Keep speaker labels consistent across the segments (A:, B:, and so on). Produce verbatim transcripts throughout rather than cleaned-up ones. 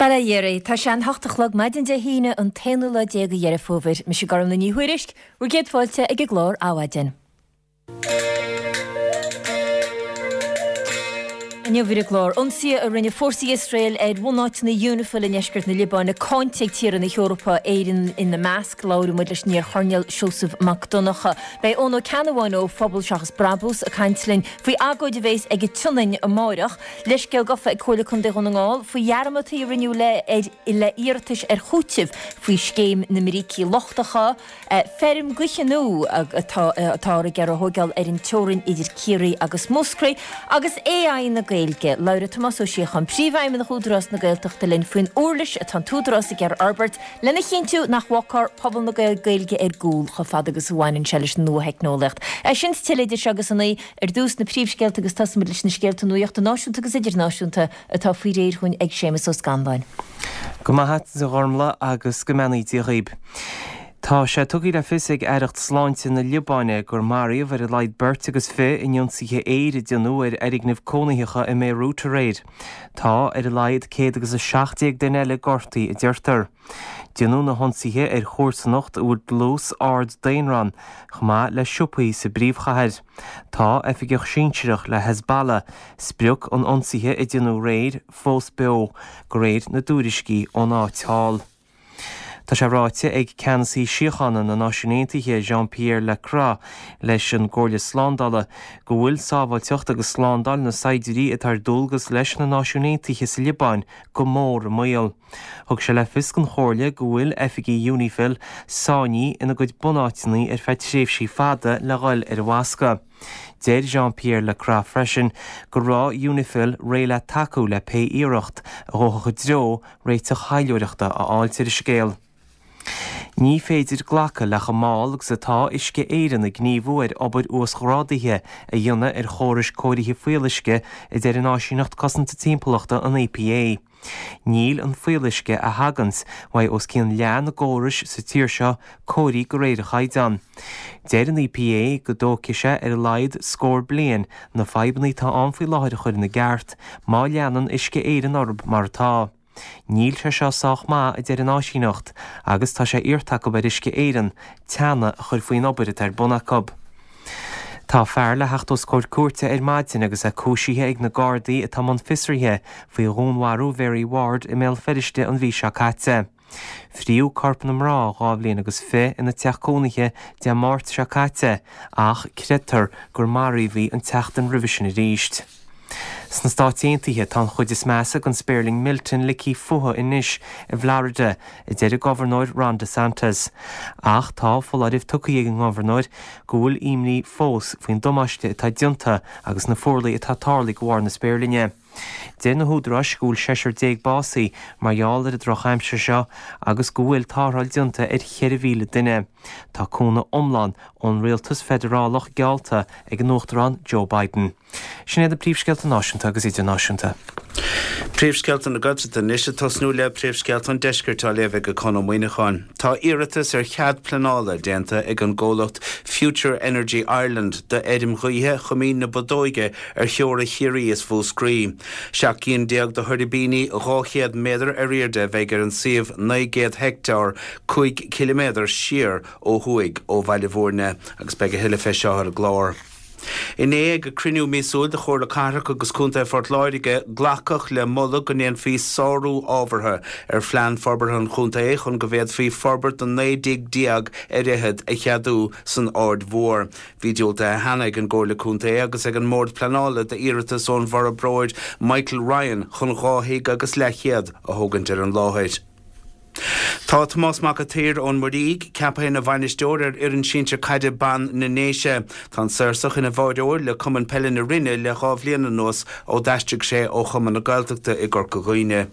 A: Bail ó Dhia oraibh. Tá sé an hocht a chlog maidin Dé hAoine an t-aonú lá déag de Dheireadh Fómhair. Mise Gormlaith Ní Thuairisg, bhur gcéad fáilte ag an gclár Adhmhaidin. Inniu ar an gclár, ionsaithe a rinne fórsaí Iosrael ar bhunáiteanna Unifil i ndeisceart na Liobáine cáinte ag tíortha na hEorpa, Éirinn ina measc. Labhróidh muid leis an iar-choirnéal Seosamh Mac Donncha. Beidh Eoin Ó Ceannabháin ó Phobal Seachas Brabús ag caint linn faoi agóid a bheas ag an tSionainn amáireach. Leithscéal gafa ag Comhairle Contae Dhún na nGall faoi dhearmadtaí a rinneadh le le iarratais ar chúiteamh faoi scéim na mbrící lochtacha. Feirm gaoithe nua atá atáthar ag iarraidh a thóigeáil ar an teorainn idir Ciarraí agus Múscraí agus AI na Gaeilge. Labhróidh Tomás Ó Síocháin, Príomhfheidhmeannach Údarás na Gaeltachta linn faoin uirlis atá an tÚdarás ag iarraidh a fhorbairt lena chinntiú nach bhfágfar pobal na Gaeilge ar gcúl chomh fada agus a bhaineann sé leis an nua-theicneolaíocht. É sin is tuilleadh idir seo agus a naoi, ar dtús na príomhscéalta agus tosóimid leis na scéalta nuachta náisiúnta agus idirnáisiúnta atá faoi réir dhúinn ag Séamus Ó Scanláin.
B: Go maith agat a Ghormlaith agus go mbeannaí Dia dhaoib. Tá sé tugtha le fios ag Aireacht Sláinte na Liobáine gur maraíodh ar a laghad beirt agus fiche in ionsaithe aeir a déanadh ar fhoirgnimh cónaitheacha i mBéiriút aréir. Tá ar a laghad céad agus a seacht déag duine eile gortaithe, a deirtear. Déanadh na hionsaithe ar chomharsanacht a bhfuil dlús ard daonra ann, chomh maith le siopaí sa bpríomhchathair. Tá oifigeach sinsearach le Hezbollah, sprioc an ionsaithe a déanadh aréir, fós beo, de réir na dtuairiscí ón áit thall. Tá sé ráite ag Ceannasaí Síochána na Náisiún Aontaithe Jean-Pierre Lacroix leis an gComhairle Slándála go bhfuil sábháilteacht agus slándáil na saighdiúirí atá ar dualgas leis na Náisiúin Aontaithe sa Liobáin go mór i mbaol. Thug sé le fios don Chomhairle go bhfuil oifigigh Unifil sáinnithe ina gcuid bunáiteanna ar feadh tréimhsí fada le dhul ar an bhfoscadh. Deir Jean-Pierre Lacroix freisin go raibh Unifil réidh le tacú le pé iarracht a ghabhfadh i dtreo réiteach taidhleoireachta a fháilt ar an scéal. Ní féidir glacadh le chomh mall agus atá Uisce Éireann ag gníomhú ar obair uasghrádaithe a dhéanamh ar chórais cóirithe fuíolluisce, a deir an Áisíneacht Cosanta Timpeallachta, an EPA. Níl an fuíolluisce a thaganns uaidh os cionn leath na gcórais sa tír seo cóirithe de réir an chaighdeáin. Deir an EPA go dtógfaidh sé ar a laghad scór bliain na fadhbanna atá ann faoi láthair a chur ina gceart má leanann Uisce Éireann orthu mar atá. Níl sé seo sách maith, a deir an áisíneacht, agus tá sé iarrta acu ar Uisce Éireann teannadh a chur faoin obair atá ar bun acu. Tá fear le theacht os comhair cúirte ar maidin agus é cúisithe ag na Gardaí atá i mbun fiosraithe faoi dhúnmharú Mhary Ward i mBéal Feirste an mhí seo caite. Fríodh corp na mná dhá bhliain agus fiche ina teach cónaithe Dé Máirt seo caite ach creidtear gur maraíodh í an tseachtain roimhe sin arís. Sna Stáit Aontaithe, tá an chuid is measa den spéirling Milton ligthe fúthu anois i bhFlorida, a deir an Gobharnóir Ron DeSantis. Ach tá foláireamh tugtha ag an ngobharnóir go bhfuil imní fós faoin damáiste atá déanta agus na fuarlaigh atá tarlaithe de bharr na spéirlinne. Deir na húdaráis go bhfuil seisear déag básaithe mar gheall ar an drochaimsir seo agus go bhfuil tarrtháil déanta ar cheithre mhíle duine. Tá cúnamh iomlán ón rialtas feidearálach geallta ag an Uachtarán Joe Biden. Sin iad na príomhscéalta náisiúnta agus idirnáisiúnta.
C: Príomhscéalta na Gaeltachta anois ag tosnú le príomhscéalta an Deiscirt á léamh ag Conn Ó Muíneacháin. Tá iarratas ar chead pleanála déanta ag an gcomhlacht Future Energy Ireland d'fheirm ghaoithe Choimín na Bodóige ar theora Chiarraí is Mhúscraí. Seacht gcinn déag de thuirbíní dhá chéad méadar ar airde a bheidh ar an suíomh naoi gcéad heicteár, cúig ciliméadar siar ó thuaidh ó Bhaile Bhúirne, agus beidh a thuilleadh fé seo ar an gclár. Inné ag cruinniú míosúil de Chomhairle Cathrach agus Contae Phort Láirge, glacadh le moladh go ndéanfaí sárú ábhartha ar Phlean Forbartha an Chontae chun go bhféadfaí forbairt de naoi dtigh déag ar fhichead a cheadú san Aird Mhór. Bhí diúltaithe cheana ag an gComhairle Contae agus ag an mBord Pleanála d'iarratas ón bhforbróir Michael Ryan chun dhá thigh agus leathchéad a thógaint ar an láthair. Tá Tomás Mac a' tSaoir ón Muirígh ceaptha ina bhainisteoir ar fhoireann sinsir caide ban na nDéise. Tá an Saorsach ina bháireoir le Cumann Peile na Rinne le dhá bhliain anuas ó d'aistrigh sé ó Chumann na Gaeltachta i gCorca Dhuibhne.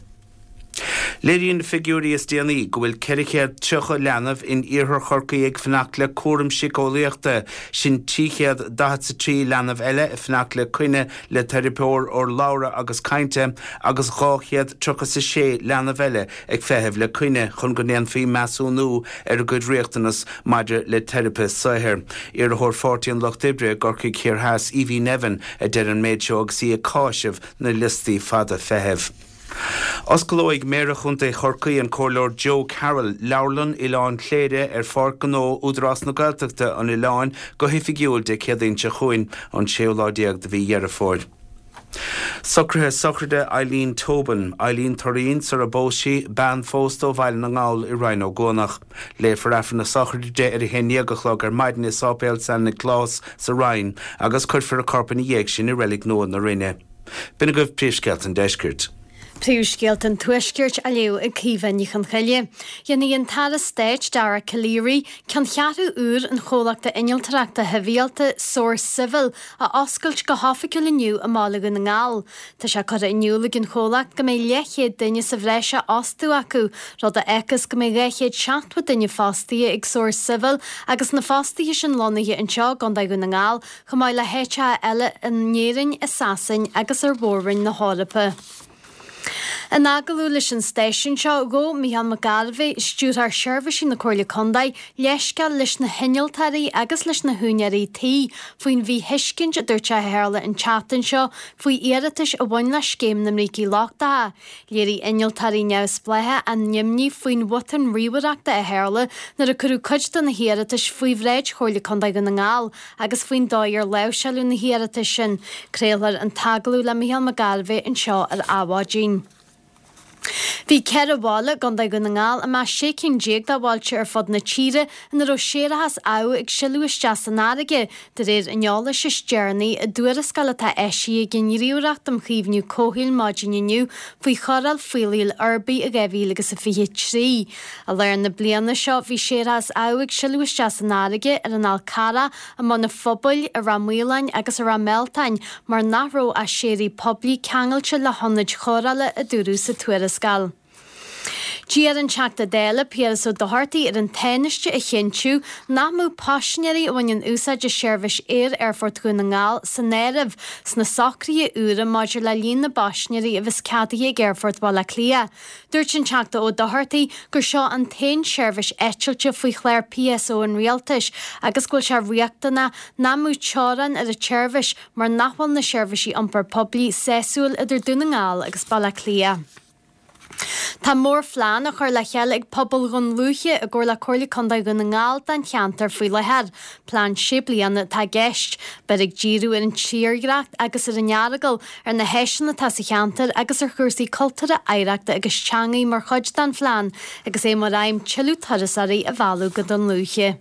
C: Léiríonn na figiúirí is déanaí go bhfuil ceithre chéad tríocha leanbh in iarthar Chorcaí ag fanacht le cúram síceolaíochta, sin trí chéad daichead 's a trí leanbh eile ag fanacht le coinne le teiripeoir urlabhra agus cainte agus dhá chéad tríocha 's a sé leanbh eile ag feitheamh le coinne chun go ndéanfaí measúnú ar a gcuid riachtanas maidir le teiripe saothair. Iarrthóir Pháirtí an Lucht Oibre i gCorcaigh Thiar Theas, Evie Nevin, a deir an méid seo agus í ag cáiseamh na liostaí fada feithimh. Osclóidh Méara Chontae Chorcaí an Comhairleoir Joe Carroll Leabharlann Oileán Chléire ar Pháirc Ghnó Údarás na Gaeltachta an Oileáin go hoifigiúil Dé Céadaoin seo chugainn an séú lá déag de mhí Dheireadh Fómhair. Socruithe sochraide Eileen Tobin, Eileen Turín sar a bpós sí bean phósta ó Bhaile na nGall i Rinn Ó gCuanach. Léifear Aifreann na sochraide di ar a haon déag a chlog ar maidin i Sáipéal San Nioclás sa Rinn agus cuirfear a corp ina dhiaidh sin i Reilig Nua na Rinne. B'in agaibh príomhscéalta an deiscirt.
D: Príomhscéalta an Tuaiscirt á léamh ag Caoimhe Ní Chonchoille. Déanfaidh an tAire Stáit Dara Calleary ceanncheathrú úr an chomhlachta innealtóireachta shibhialta Source Civil a oscailt go hoifigiúil inniu i mBaile Dhún na nGall. Tá sé curtha in iúl ag an chomhlacht go mbeidh leathchéad duine sa bhreis á fhostú acu, rud a fhágfas go mbeidh dhá chéad seachtó duine fostaithe ag Source Civil agus na fostaithe sin lonnaithe anseo i gContae Dhún na nGall, chomh maith le háiteacha eile in Éirinn, i Sasain agus ar mhór-roinn na hEorpa. In agallamh leis an stáisiún seo, ghabh Micheál Mac Gairbheith, Stiúrthóir Seirbhísí na Comhairle Contae, leithscéal leis na hinnealtóirí agus leis na húinéirí tí faoin mhíthuiscint a dúirt sé a tharla an tseachtain seo faoi iarratais a bhain le scéim na mbrící lochtacha. Léirigh innealtóirí neamhspleácha a n-imní faoin bhotún ríomhaireachta a tharla nuair a cuireadh cuid de na hiarratais faoi bhráid Chomhairle Contae Dhún na nGall agus faoin dóigh ar láimhseáladh na hiarratais sin. Craolfar an t-agallamh le Micheál Mac Gairbheith anseo ar Adhmhaidin. Bhí ceithre bhaile i gContae Dhún na nGall i measc sé cinn déag de bhailte ar fud na tíre ina raibh séarachas amh ag sileadh isteach san fharraige, de réir an eolais is deireanaí i dtuarascáil atá eisithe ag an nGníomhaireacht um Chaomhnú Comhshaoil maidin inniu faoi chóireáil fuílligh uirbigh i dhá mhíle agus a fiche trí. I lár na bliana seo bhí séarachas amh ag sileadh isteach san fharraige ar an Fhál Carrach, i mBun an Phobail, i Ráth Maoláin agus i Ráth Mealtain mar nach raibh ach séaraigh poiblí ceangailte le hionaid chóireála, a dúradh sa tuarascáil. D'iarr an Teachta Dála Piaras Ó Dochartaigh ar an Tánaiste a chinntiú nach mbeadh paisinéirí a bhaineann úsáid as seirbhís aeir Aerfort Dhún na nGall san áireamh sna socruithe úra maidir le líon na bpaisinéirí a bheas ceadaithe ag Aerfort Bhaile Átha Cliath. Dúirt an Teachta Ó Dochartaigh gur seo an t-aon seirbhís eitilte faoi chlár P S O an Rialtais agus go bhfuil sé riachtanach nach mbeadh teorainn ar an tseirbhís mar nach bhfuil na seirbhísí iompar poiblí sásúil idir Dún na nGall agus Baile Átha Cliath. Tá mórphlean á chur le chéile ag pobal Dhún Lúiche i gcomhar le Comhairle Contae Dhún na nGall don cheantar faoi láthair. Plean sé bliana atá i gceist. Beidh ag díriú ar an tírdhreach agus ar an Earagail, ar na háiseanna atá sa cheantar agus ar chúrsaí cultúrtha, oidhreachta agus teangaí mar chuid den phlean, agus é mar aidhm tuilleadh turasóirí a mhealladh go Dún Lúiche.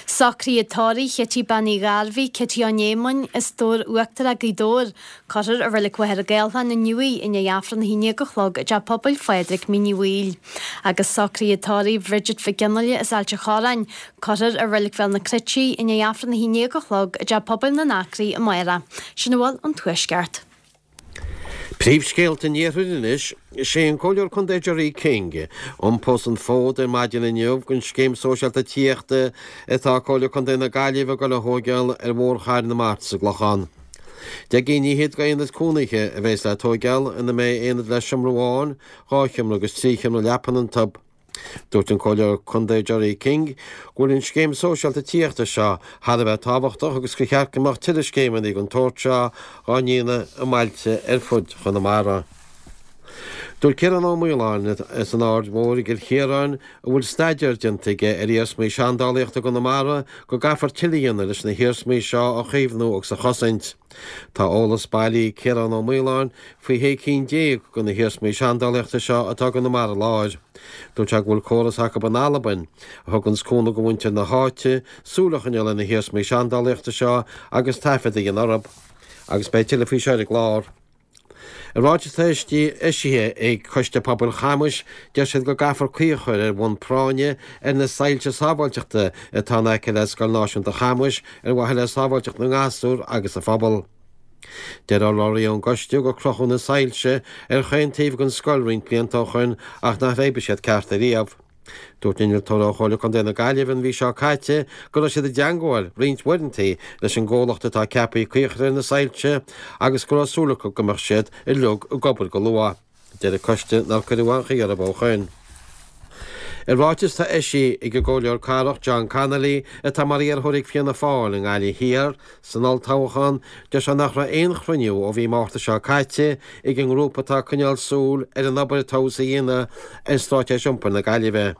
D: Socruithe tórraimh Chití Bean Uí Ghairbhí, Cití Ó Néamáin, as Dobhar Uachtarach, Gaoth Dobhair. Cuirfear i Reilig Mhachaire Gathlán inniu í i ndiaidh Aifreann a haon déag a chlog i dTeach Pobail Phádraig, Mín Uí Bhaoill. Agus socruithe tórraimh Bridget Mhic Fhionnghaile as Ailt an Chorráin. Cuirfear i Reilig Bhéal na Cruite í i ndiaidh Aifreann a haon déag a chlog i dTeach Pobail na nAcraí amárach. Sin a bhfuil ón Tuaisceart.
E: Príomhscéalta an Iarthair anois, Is é an Comhairleoir Contae Gerry King a iompós an fód ar maidin inniu don scéim sóisialta tithíochta atá Comhairle Contae na Gaillimhe ag dul a thóigeáil ar Bhóthar Chathair na Mart sa gClochán. Deich gcinn fhichead d'aonaid cónaithe a bheas le tóigeáil ina mbeidh aonad le seomra amháin, dhá sheomra agus trí sheomra leapan iontu. Dúirt an Comhairleoir Contae Gerry King go bhfuil an scéim sóisialta tithíochta seo thar a bheith tábhachtach agus gur cheart go mbeadh tuilleadh scéimeanna den tsórt seo á ndéanamh i mbailte ar fud Chonamara. Dúirt Ciarán Ó Maoláin as an Aird Mhór i gCill Chiaráin, a bhfuil staidéar déanta aige ar iarsmaí seandálaíochta i gConamara, go gcaithfear tuilleadh a dhéanamh leis na hiarsmaí seo a chaomhnú agus a chosaint. Tá eolas bailithe ag Ciarán Ó Maoláin faoi shé cinn déag de na hiarsmaí seandálaíochta seo atá i gConamara Láir. Dúirt sé go bhfuil córas acu in Albain a thuganns cúnamh do mhuintir na háite súil a choinneáil ar na hiarsmaí seandálaíochta seo agus taifead a dhéanamh orthu. Agus beidh tuilleadh faoi seo ar an gclár. I ráiteas atá eisithe ag Coiste Pobail Chamais, deir siad go gcaithfear caoi a chur ar bhonn práinne ar na soilse sábháilteachta atá in aice le Scoil Náisiúnta Chamais ar mhaithe le sábháilteacht na ngasúr agus an phobail. Deir urlabhraí ón gcoiste gur crochadh na soilse ar chaon taobh den scoil roinnt blianta ó shoin ach nach oibrigh siad ceart ariamh. Dúirt innealtóir ó Chomhairle Contae na Gaillimhe an mhí seo caite go raibh siad i dteangmháil roinnt uaireanta leis an gcomhlacht atá ceaptha caoi a chur ar na soilse agus go raibh súil acu go mbeadh siad uilig ag obair go luath. Deir an coiste nár cuireadh aon chaoi orthu ó shoin. I ráiteas atá eisithe ag an gComhairleoir Cathrach John Connolly, atá mar iarrthóir ag Fianna Fáil i nGaillimh Thiar san olltoghchán, deir sé nach raibh aon chruinniú ó mhí Márta seo caite ag an ngrúpa atá ag coinneáil súil ar an obair atá á dhéanamh ar Straitéis Iompair na Gaillimhe.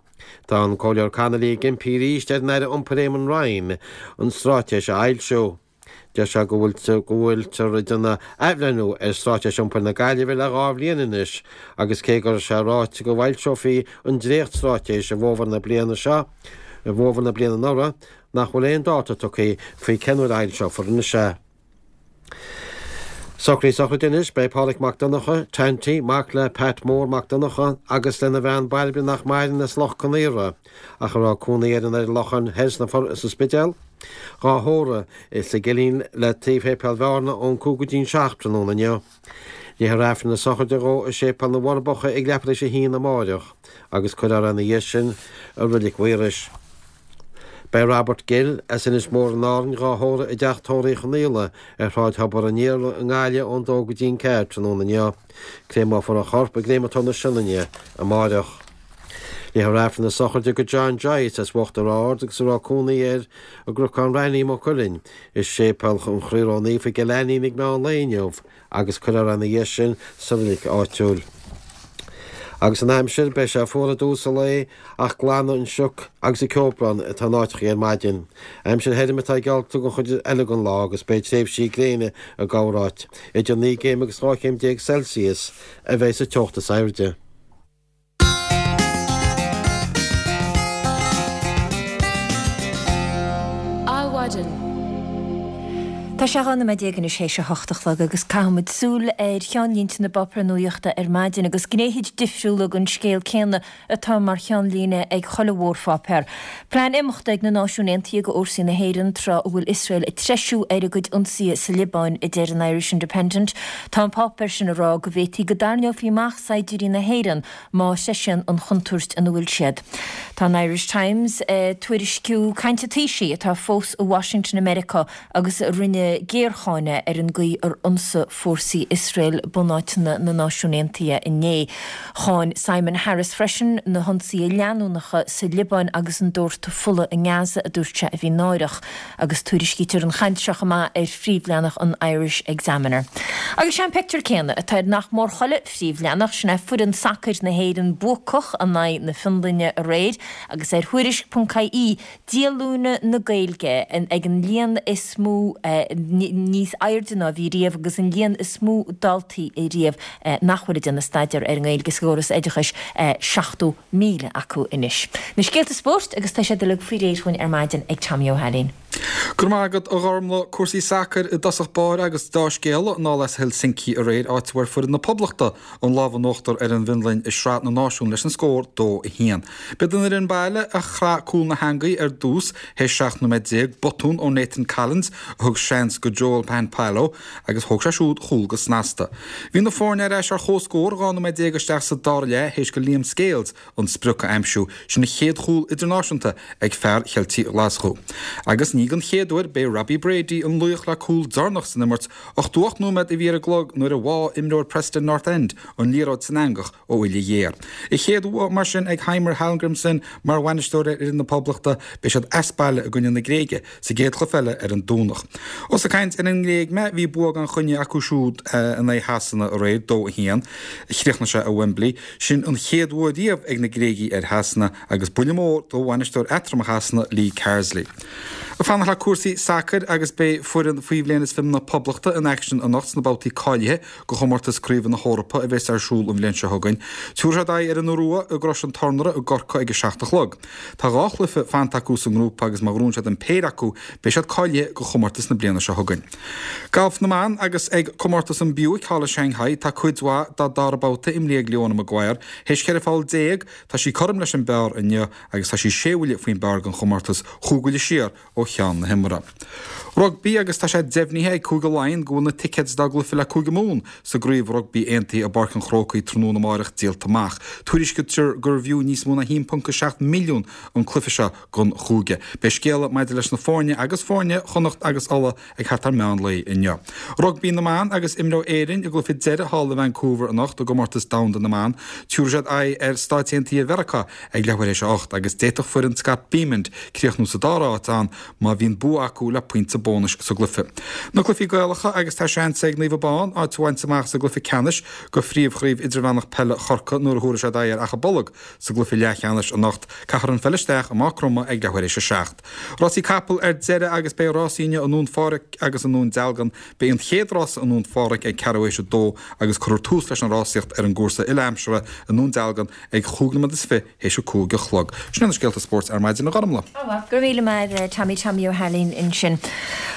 E: Tá an Comhairleoir Connolly ag impí arís ar an Aire Iompair Eamon Ryan an straitéis a fhoilsiú. Deir sé go bhfuiltear ag déanamh athbhreithniú ar Straitéis Iompair na Gaillimhe le dhá bhliain anois agus cé go raibh sé ráite go bhfoilseofaí an dréachtstraitéis i bhfómhar na bliana seo, i bhfómhar na bliana anuraidh, nach bhfuil aon dáta tugtha faoi cén uair a fhoilseofar anois é. Socruithe sochraide anois, beidh Pádraig Mac Donncha, Tanty, mac le Pat Mór Mac Donncha agus lena bhean Bairbre nach maireann as Loch Con Aortha, ach a raibh cónaí air in Air Locháin Thoir sa Spidéal, dhá thórramh sa gCillín le taobh Shéipéal Bhearna ón cúig go dtí'n seacht tráthnóna inniu. Léifear Aifreann na sochraide dhó i Séipéal na bhForbacha ag leathuair tar éis a haon amáireach agus cuirfear é ina dhiaidh sin i Reilig Mhaorais. Beidh Robert Gill as Inis Mór in Árainn dhá thórramh i dteach tórraimh Uí Chonaola ar Shráid Thobar an Iarla i nGaillimh ón dó go dtí'n ceathair tráthnóna inniu. Créamófar a chorp i gCréamatóir na Sionainne amáireach. Léifear Aifreann na sochraide do John Joyce as Uachtar Ard agus a raibh cónaí air i gCnocán Raithní, Maigh Cuilinn, i Séipéal an Chroí Ró-Naofa i gCill Ainnín ag meán lae inniu agus cuirfear é ina dhiaidh sin sa reilig áitiúil. Agus an aimsir, beidh sé fuar i dtús an lae ach glanfaidh an sioc agus an ceobrán atá in áiteachaí ar maidin. Aimsir thirim atá geallta don chuid eile den lá agus beidh tréimhsí gréine i gcorráit. Idir naoi gcéim agus dhá chéim déag Celsius a bheidh sa teocht is airde.
A: Adhmhaidin. Tá sé dhá nóiméad déag anois théis a hocht a chlog agus caithfimid súil ar cheannlínte na bpáipéar nuachta ar maidin agus gnéithe difriúla den scéal céanna atá mar cheannlíne ag chuile mhórpháipéar. Plean imeachta ag na Náisiúin Aontaithe do fhórsaí na hÉireann tráth a bhfuil Iosrael ag treisiú ar a gcuid ionsaithe sa Liobáin, a deir an Irish Independent. Tá an páipéar sin ag rá go bhféadfaí go dtarraingeofaí amach saighdiúirí na hÉireann má threisíonn an chontúirt ina bhfuil siad. Tá an Irish Times ag tuairisciú caint an Taoisigh atá fós i Washington i Meiriceá agus a rinne géarcháineadh ar an gcaoi ar ionsaigh fórsaí Iosrael bunáiteanna na Náisiún Aontaithe inné. Cháin Simon Harris freisin na hionsaithe leanúnacha sa Liobáin agus an doirteadh fola i nGaza a dúirt sé a bhí náireach agus tuairiscítear an chaint seo chomh maith ar phríomhleathanach an Irish Examiner. Agus sé an pictiúr céanna atá ar nach mór chuile phríomhleathanach, sin é foireann sacair na hÉireann buacach in aghaidh na Fionlainne aréir agus ar Thuairisc ponc ie díolúine na Gaeilge ag an líon is mó níos airde ná a bhí riamh agus an líon is mó daltaí riamh nach bhfuil ag déanamh staidéar ar an nGaeilge sa gcóras oideachais, seachtó míle acu anois. Na scéalta spóirt agus tá siad uilig faoi réir dhúinn ar maidin ag Tommy Ó hAilín.
F: Go raibh maith agat a Ghormlaith. Cúrsaí sacair i dtosach báire agus dea-scéala anall as Helsinki aréir, áit a bhfuair foireann na Poblachta an lámh in uachtar ar an bhFionlainn i Sraith na Náisiún leis an scór dó a haon. B'iad an fhoireann baile a chraith cúl na heangaí ar dtús théis seacht nóiméad déag, botún ó Nathan Collins a thug seans go Joel Pohjanpalo agus thóg sé siúd chúl go snasta. Bhí na foirne ar ais ar comhscór dhá nóiméad déag isteach sa dara leath théis go Liam Scales an sprioc a aimsiú, sin a chéad chúl idirnáisiúnta ag fear Cheiltigh Ghlaschú. Agus ní den chéad uair, b'é Robbie Brady an laoch le cúl deireanach san imirt, ochtó ocht nóiméad a bhí ar an gclog nuair a bháigh imreoir Preston North End an liathróid san eangach ó uille ghéar. A chéad bhua mar sin ag Heimir Hallgrímsson mar bhainisteoir ar fhoireann na Poblachta, beidh siad as baile i gcoinne na Gréige sa gcéad chluiche eile ar an Domhnach. Ós ag caint ar an nGréig mé, bhí bua gan choinne acu siúd in aghaidh Shasana aréir, dó a haon. Chríochnaigh sé i Wembley. Sin an chéad bhua riamh ag na Gréigigh ar Shasana agus buille mór do bhainisteoir eatramhach Shasana, Lee Carsley. Ag fanacht le cúrsaí sacair agus beidh foireann faoi bhliain is fiche na Poblachta in aicsean anocht sna babhtaí cáilithe do chomórtas Craoibhe na hEorpa a bheas ar siúl an bhliain seo chugainn. Tabharfaidh siad aghaidh ar an Iorua i gCrois an Tornaire i gCorcaigh ag a seacht a chlog. Tá dhá chluiche fanta acu sa ngrúpa agus má ghnóthaíonn siad an péire acu beidh siad cáilithe do chomórtas na bliana seo chugainn. Galf na mban agus ag comórtas an Buick thall i Shanghai tá cuid mhaith dá dara babhta imrithe ag Leona Maguire. Théis ceithre pholl déag tá sí cothrom leis an bpar inniu agus tá sí sé bhuille faoin bpar don chomórtas, chúig bhuille siar ó cheann iomlán na himeartha. Rugbaí agus tá sé deimhnithe ag Cúige Laighean go bhfuil na ticéid dá gcluiche le Cúige Mumhan sa gcraobh rugbaí aontaithe i bPáirc an Chrócaigh tráthnóna amárach díolta amach. Tuairiscítear gurbh fhiú níos mó ná haon ponc a seacht milliún an cluiche seo don chúige. Beidh scéala maidir leis na foirne agus foirne Chonnacht agus Uladh ag thart ar meán lae inniu. Rugbaí na mban agus imreoidh Éirinn a gcluiche deiridh thall i Vancouver anocht i gcomórtas domhanda na mban. Tabharfaidh siad aghaidh ar Stáit Aontaithe Mheiriceá ag leathuair théis a hocht agus d'fhéadfadh foireann Scott Bemand críochnú sa dara háit ann má bhíonn bua acu le pointe bónais sa gcluiche. Na cluichí Gaelacha agus tá seans ag Naomh Abán áit a bhaint amach sa gcluiche ceannais de Phríomhchraobh Idirmheánach Peile Chorcaí nuair a thabharfaidh siad aghaidh ar Achadh Bolg sa gcluiche leathcheannais anocht. Caithfear an pheil isteach i Maigh Chromtha ag leathuair théis a seacht. Rásaí capall ar deireadh agus beidh rásaí inniu i nDún Phádraig agus i nDún Dealgan. Beidh an chéad rása i nDún Phádraig ag ceathrú théis a dó agus cuirfear tús leis an rásaíocht ar an gcúrsa uile-aimsire i nDún Dealgan ag chúig nóiméad is fiche théis a cúig a chlog. Sin iad na scéalta spóirt ar maidin, a Ghormlaith.
A: Go raibh míle maith agat Tommy Tommy Ó hAilín ansin.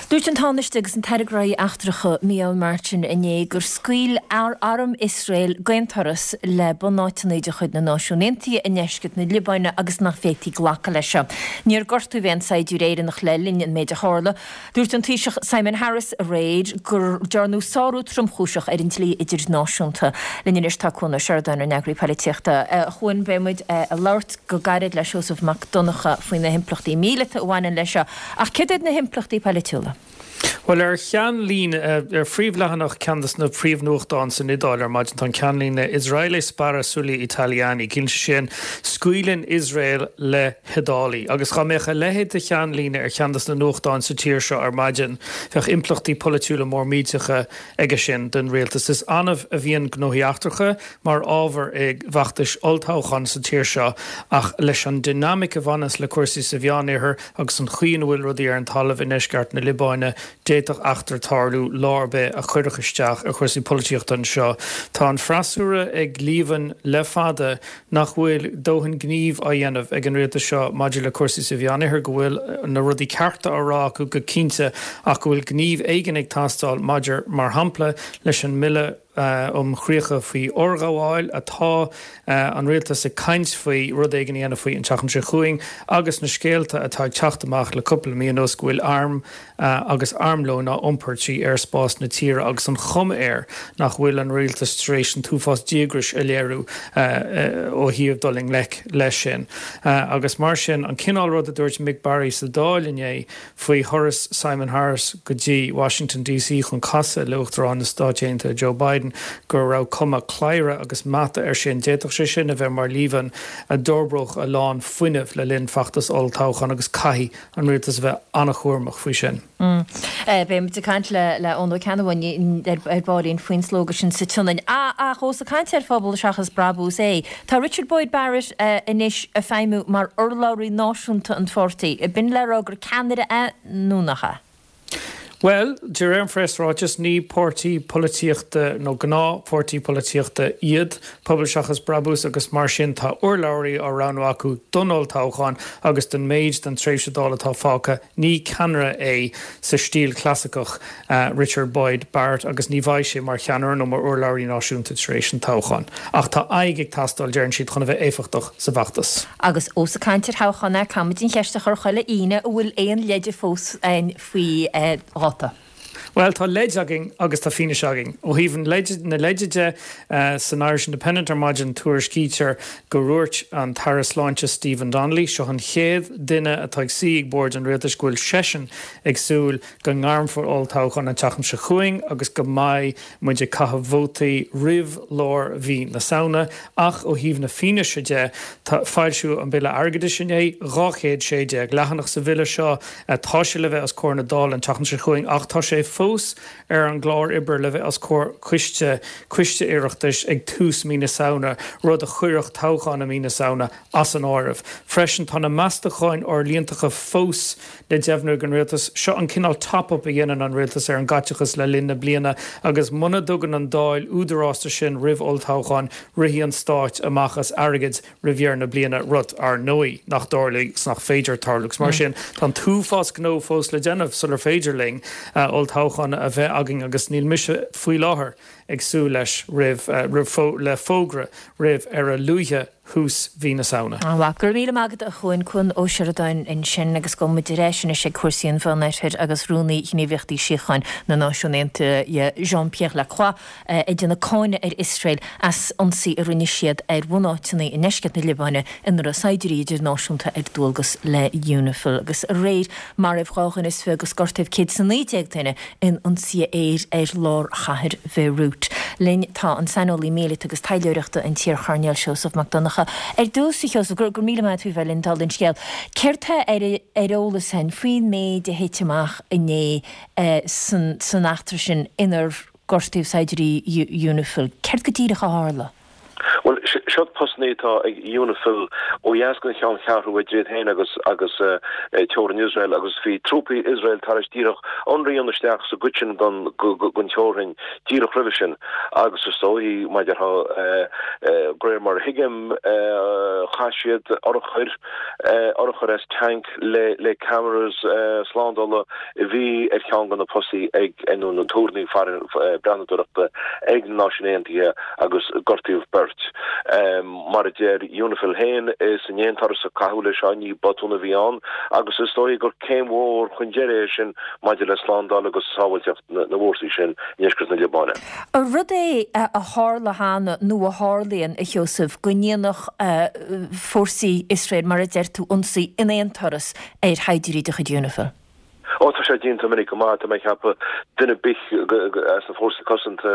A: Dúirt an Tánaiste agus an tAire Gnóthaí Eachtracha Micheál Martin inné gur scaoil arm Iosrael d'aon turas le bunáiteanna de chuid na Náisiún Aontaithe i ndeisceart na Liobáine agus nach bhféadfaí glacadh leis seo. Níor gortaíodh aon saighdiúir Éireannach le linn an méid a tharla. Dúirt an Taoiseach Simon Harris aréir gur dearnadh sárú tromchúiseach ar an dlí idirnáisiúnta. Linn anois tá Cuan Ó Seireadáin, ár n-eagraí polaitíochta. A Chuain, beidh muid ag labhairt go gairid le Seosamh Mac Donncha faoi na himpleachtaí míleata a bhaineann leis seo. Ach céard iad na himpleachtaí polaitiúla?
G: Bhuel ar cheannlíne ar phríomhleathanach ceann de na príomhnuachtáin san Iodáil ar maidin tá an ceannlíne Israele spara sugli italiani, ciallaíonn sé sin scaoileann Iosrael le hIodálaigh. Agus dá mbeadh a leithéid de cheannlíne ar cheann de na nuachtáin sa tír seo ar maidin, bheadh impleachtaí polaitiúla mór millteacha aige sin don rialtas. Is annamh a bhíonn gnóthaí eachtracha mar ábhar i bhfeachtais olltoghcháin sa tír seo ach leis an dinimic a bhaineanns le cúrsaí sa Mheánoirthear agus an chaoi ina bhfuil rudaí ar an talamh i ndeisceart na Liobáine, d'fhéadfadh eachtra tarlú lá ar bith a chuirfeadh isteach ar chúrsaí polaitíochta anseo. Tá an freasúra ag líomhain le fada nach bhfuil dóthain gnímh á dhéanamh ag an rialtas seo maidir le cúrsaí sa Mheánoirthear, go bhfuil na rudaí cearta á rá acu go cinnte ach go bhfuil gníomh éigin ag teastáil maidir, mar shampla, leis an mBille um Chríocha faoi Fhorghabháil atá an rialtas ag caint faoi rud éigin a dhéanamh faoi an tseachtain seo chugainn agus na scéalta atá ag teacht amach le cúpla mí anuas go bhfuil airm agus armlón á iompar trí aerspás na tíre agus an chuma air nach bhfuil an rialtas tar éis an t-uafás díograis a léiriú ó thaobh dul i ngleic leis sin. Agus mar sin, an cineál rud a dúirt Mick Barry sa Dáil inné faoi thuras Simon Harris go dtí Washington DC chun casadh le Uachtarán na Stáit Aontaithe Joe Biden go raibh cuma cladhaire agus mata air sin, d'fhéadfadh sé sin a bheith mar líomhain a d'fhorbródh a lán fuinnimh le linn feachtas olltoghcháin agus caithfidh an rialtas a bheith an-chúramach faoi sin.
A: Beidh muid ag caint le Eoin Ó Ceannabháin ar baillín faoin slógadh sin sa tSionainn. Ach ós ag caint ar phobal seachas brabús é, tá Richard Boyd Barrett anois ag feidhmiú mar urlabhraí náisiúnta an pháirtí. B'in le rá gur ceannaire é nó nach ea?
G: Bhuel, de réir an phreasráitis, ní páirtí polaitíochta nó gnáthpháirtí polaitíochta iad Pobal Seachas Brabús agus mar sin tá urlabhraí á roghnú acu don olltoghchán agus don méid den tréimhse Dála atá fágtha. Ní ceannaire é sa stíl chlasaiceach Richard Boyd Barrett agus ní bheidh sé mar cheannaire nó mar urlabhraí náisiúnta tar éis an toghcháin. Ach tá aghaidh ag teastáil, deireann siad, chun a bheith éifeachtach sa bhfeachtas.
A: Agus ós ag caint ar thoghchán é, caithfimid an cheist a chur chuile Aoine, an bhfuil aon leide fós againn faoi dháta?
G: Bhuel, tá leid againn agus tá fianaise againn. Ó thaobh an leid, na leide de, san Irish Independent ar maidin tuairiscítear go ndúirt an tAire Sláinte Stephen Donnelly, seo an chéad duine atá ag suí ag bord an rialtais, go bhfuil seisean ag súil go ngairmfear olltoghchán an tseachtain seo chugainn agus go mbeidh muid ag caitheamh vótaí roimh lár mhí na Samhna. Ach ó thaobh na fianaise de, tá, foilsíodh an Bille Airgeadais inné, dhá chéad sé déag leathanach sa bhille seo, tá sé le bheith os comhair na Dála an tseachtain seo chugainn ach tá sé fós ar an gclár oibre le bheith os comhair coiste coiste Oireachtais ag tús mí na Samhna, rud a chuirfeadh toghchán i mí na Samhna as an áireamh. Freisin, tá na meastacháin fhorlíontacha fós le deimhniú ag an Rialtas. Seo an cineál top-up a dhéanann an Rialtas ar an gcaiteachas le linn na bliana agus muna dtugann an Dáil údarás do sin roimh olltoghchán, rithfidh an Stát amach as airgead roimh dheireadh na bliana, rud, ar ndóigh, nach dtarlóidh 's nach féidir tarlú. 'S mar sin, tá an t-uafás gnó fós le déanamh sular féidir linn olltoghchán a bheith againn agus níl mise faoi láthair ag súil leis roimh roimh le fógra roimh ar a luaithe thús mhí na Samhna.
A: An-mhaith. Go raibh míle maith agat a Chuain, Cuan Ó Seireadáin ansin agus gabhfaidh muid ar ais anois ag cúrsaí an Mheánoirthir agus Rúnaí Ghníomhaíochtaí Síocháin na Náisiún Aontaithe Jean-Pierre Lacroix ag déanamh cáineadh ar Iosrael as ionsaí a rinne siad ar bhunáiteanna i ndeisceart na Liobáine ina raibh saighdiúirí idirnáisiúnta ar dualgas le Unifil. Agus aréir maraíodh dhá dhuine is fiche agus gortaíodh céad is a naoi déag duine in ionsaithe aeir ar lár chathair Bheirút. Linn tá an saineolaí míleata agus taidhleoireachta an t-iarchoirnéal Seosamh Mac Donncha. Ar dtús, a Sheosaimh, go raibh míle maith agat faoi bheith linn, dála an scéil. Céard tá ar ar eolas againn faoin méid a thit amach inné san san eachtra sin inar gortaíodh saighdiúirí Unifil? Céard go díreach a tharla?
H: Bhuel, seo postanna atá ag Unifil ó dheas den cheanncheathrú idir iad féin agus agus teorainn Iosrael agus bhí trúpaí Iosrael tar éis díreach ionradh a dhéanamh isteach sa gcuid sin den teorainn díreach roimhe sin agus is dóigh, mar a déarfá, de réir mar a thuigim, chaith siad urchair, urchar as tanc le le cameras slándála a bhí ar cheann de na postaí ag nó na túrnaí breathnadóireachta ag na Náisiúin Aontaithe agus gortaíodh beirt. Mar a deir Unifil féin, is in aon turas a caitheadh leis seo, ní botún a bhí ann agus is dóigh gur céim mhór chun deiridh é sin maidir le slándáil agus sábháilteacht na bhfórsaí sin i ndeisceart na Liobáine.
A: An rud é a tharla cheana nó a tharlaíonn, a Sheosaimh, go ndéanfadh fórsaí Iosrael, mar a deir tú, ionsaí in aon turas ar shaighdiúirí de chuid Unifil?
H: Ó, tá sé déanta minic go maith, tá mé ag ceapadh, duine ar bith as na fórsaí cosanta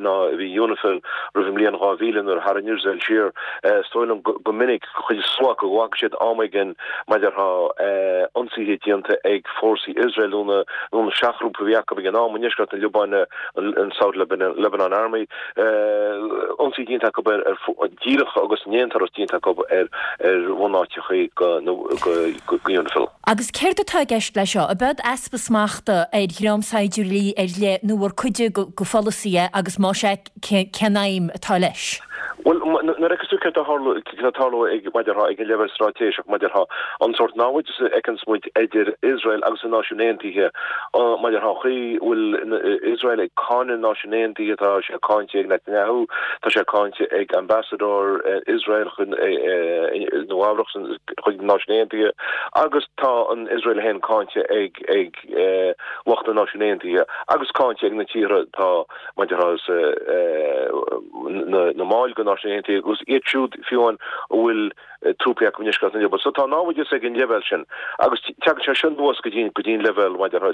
H: ná a bhí Unifil roimh an mbliain dhá mhíle nuair a tharraing Iosrael siar, is dóigh liom go minic, chuid is mó acu, go bhfaca siad am éigin mar a déarfá ionsaithe déanta ag fórsaí Iosrael nó na nó na seachghrúpa a bhí acu ag an am i ndeisceart na Liobáine, an South Lebanon Army, ionsaí déanta acu ar díreach agus in aon turas déanta acu ar ar bhunáiteacha go go Unifil.
A: Agus céard atá i gceist leis seo? Ab eod easpa smachta ar dhream saighdiúirí ar leith nó ar cuid de pholasaí é agus más ea cén aidhm atá leis?
H: Bhuel, nuair a fheiceas tú céard atá ag tarlú ag, mar a déarfá, ag an leibhéal straitéiseach, mar a déarfá, an sórt namhaideas a fheiceanns muid idir Iosrael agus na Náisiúin Aontaithe, mar a déarfá, an chaoi a bhfuil Iosrael ag cáineadh na Náisiúin Aontaithe, tá sé cáinte ag Netanyahu, tá sé cáinte ag Ambassador Iosrael chun Nua-Eabhrac chuig na Náisiúin Aontaithe agus tá an Iosrael féin cáinte ag ag lucht na Náisiún Aontaithe agus cáinte ag na tíortha atá mar a déarfá na mbaill de Náisiúin Aontaithe agus iad siúd fiú amháin a bhfuil trúpaí acu i ndeisceart na Liobáine. So tá námhaideas ag an leibhéal sin agus tagann sé seo anuas go dtí go dtí an leibhéal mar a déarfá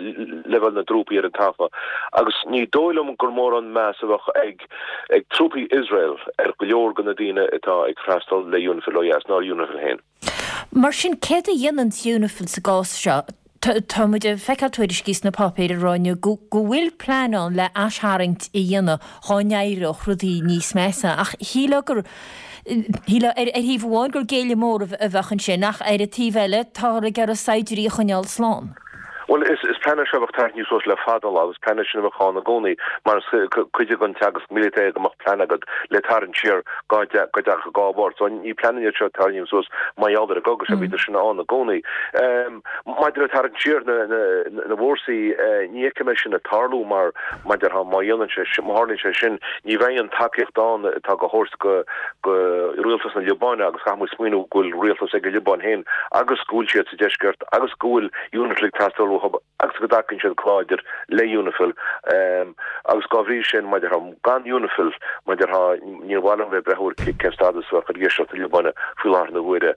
H: leibhéal na dtrúpaí ar an talamh agus ní dóigh liom gur mórán meas a bheadh ag ag trúpaí Iosrael ar go leor de na daoine atá ag freastal le Unifil ó dheas ná ar Unifil féin.
A: Mar sin, céard a dhéanann Unifil sa gcás seo? Tá muid ag feiceáil tuairiscí sna páipéir ag rá inniu go bhfuil plean ann le aistharraingt a dhéanamh dhá n-éireodh rudaí níos measa ach shílfeá gur, shílfeá ar thaobh amháin gur géilleadh mór a bheadh ansin ach ar an taobh eile táthar ag iarraidh saighdiúirí a choinneáil slán.
H: Bhuel, is plean é seo a bheadh tarraingthe suas le fada an lá agus plean é sin a bheadh ann i gcónaí mar is cuid den teagasc míleata é go mbeadh plean agat le tarraingt siar dá dtagadh gá air. So ní pleananna iad seo a tarraingíodh suas mar gheall ar an gcogadh seo, bhíodar sin ann i gcónaí. Maidir le tarraingt siar na bhfórsaí, ní fheicim é sin ag tarlú mar, mar a déarfá, má dhéanann sé, má tharlaíonn sé sin, ní bheidh an tacaíocht ann atá go thabhairt go go rialtas na Liobáine agus caithfidh muid smaoineamh go bhfuil rialtas ag an Liobáin féin agus go bhfuil siad sa deisceart agus go bhfuil Unifil ag teastáil uathu agus go dtacaíonn siad go láidir le Unifil agus dá bhrí sin, mar a déarfá, gan Unifil, mar a déarfá, níor mhaith liom bheith ag breith ar cén stádas a bheadh ar dheisceart na Liobáine faoi láthair na huaire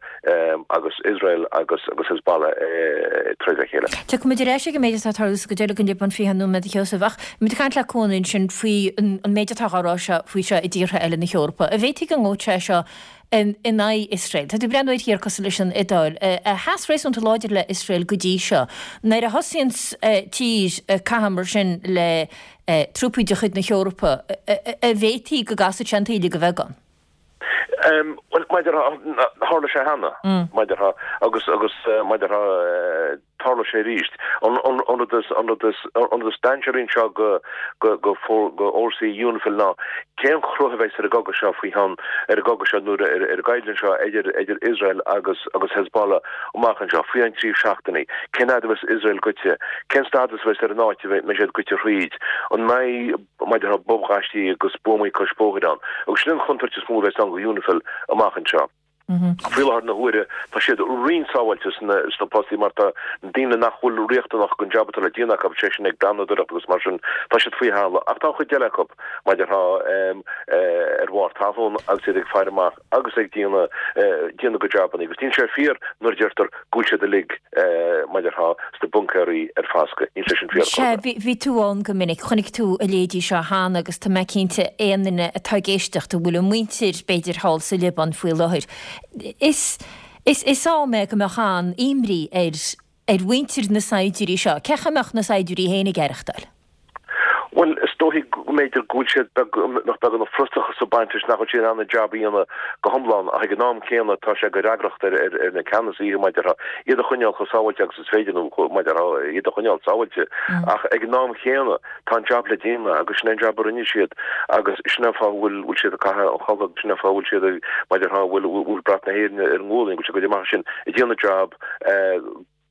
H: agus Iosrael agus agus Hezbollah ag troid le chéile.
A: Tiocfaidh muid ar ais ag an méid atá ag tarlú sa gcuid eile den Liobáin faoi cheann nóiméad, a Sheosaimh, ach muid ag caint le Cuan ansin faoi an méid atá á rá seo faoi seo i dtíortha eile na hEorpa. An bhféadfaí go ngabhfadh sé seo in aghaidh Iosrael? Tá tú ag breathnú ar thír cosúil leis an Iodáil, a sheas réasúnta láidir le Iosrael go dtí seo. Nuair a thosaíonn tír ag caitheamh mar sin le trúpaí de chuid na hEorpa, an bhféadfaí go gcasfadh sé an taoille de bheagán?
H: Bhuel, mar a déarfá, tharla sé cheana, mar a déarfá, agus, agus mar a déarfá, tarlóidh sé arís. An rud is an rud is an rud is dainséaraí anseo go go go go fhórsaí Unifil ná cén chruth a bheas ar an gcogadh seo faoi cheann ar an gcogadh seo nó ar ar an gcoimhlint seo idir idir Iosrael agus agus Hezbollah amach anseo faoi cheann trí seachtainí. Cén fhad a bheas Iosrael goite? Cén stádas a bheas ar an áit a mbeidh siad goite thríd? An mbeidh maidir le bobghaistí agus buamaí cois bóthair ann? Agus sin an chontúirt is mó a bheas ann go Unifil amach anseo. Faoi láthair na huaire tá siad roinnt sábháilte sna sna postaí mar tá daoine nach bhfuil riachtanach don jab atá le déanamh acu, sé sin ag breathnadóireacht agus mar sin, tá siad faoi thalamh. Ach tá an chuid eile acu, mar a déarfá, ar bharr talún agus iad ag faire amach agus ag déanamh déanamh a gcuid jabannaí. Agus níl sé fíor nuair a deirtear go bhfuil siad uilig, mar a déarfá, sna buncaeirí ar foscadh. Níl sé sin fíor
A: Sea,
H: chor ar bith.
A: bhí tú ann go minic, chonaic tú a leithéidí seo cheana agus tá mé cinnte aon duine atá ag éisteacht a bhfuil a muintir b'fhéidir thall sa Liobáin faoi láthair, is is is am é go mbeadh an-imní ar ar mhuintir na saighdiúirí seo. Cén chaoi a mbeadh na saighdiúirí féin ag aireachtáil?
H: Bhuel, is dóichí go mb'fhéidir go bhfuil siad beag, go mbeadh beagán frustrachas ag baint leis nach bhfuil siad in ann an jab a dhéanamh go hiomlán ach ag an am céanna tá sé de fhreagracht ar ar na ceannasaithe mar a déarfá iad a choinneáil chomh sábháilte agus is féidir nó mar a déarfá iad a choinneáil sábháilte ach ag an am chéanna tá an jab le déanamh agus sin é an jab a rinne siad agus sin é an fáth a bhfuil bhfuil siad ag caitheamh an chulaith agus sin é an fáth a bhfuil siad ag mar a déarfá bhfuil bhfuil brat na hÉireann ar a ngualainn go bhfuil siad ag goil amach ansin ag déanamh jab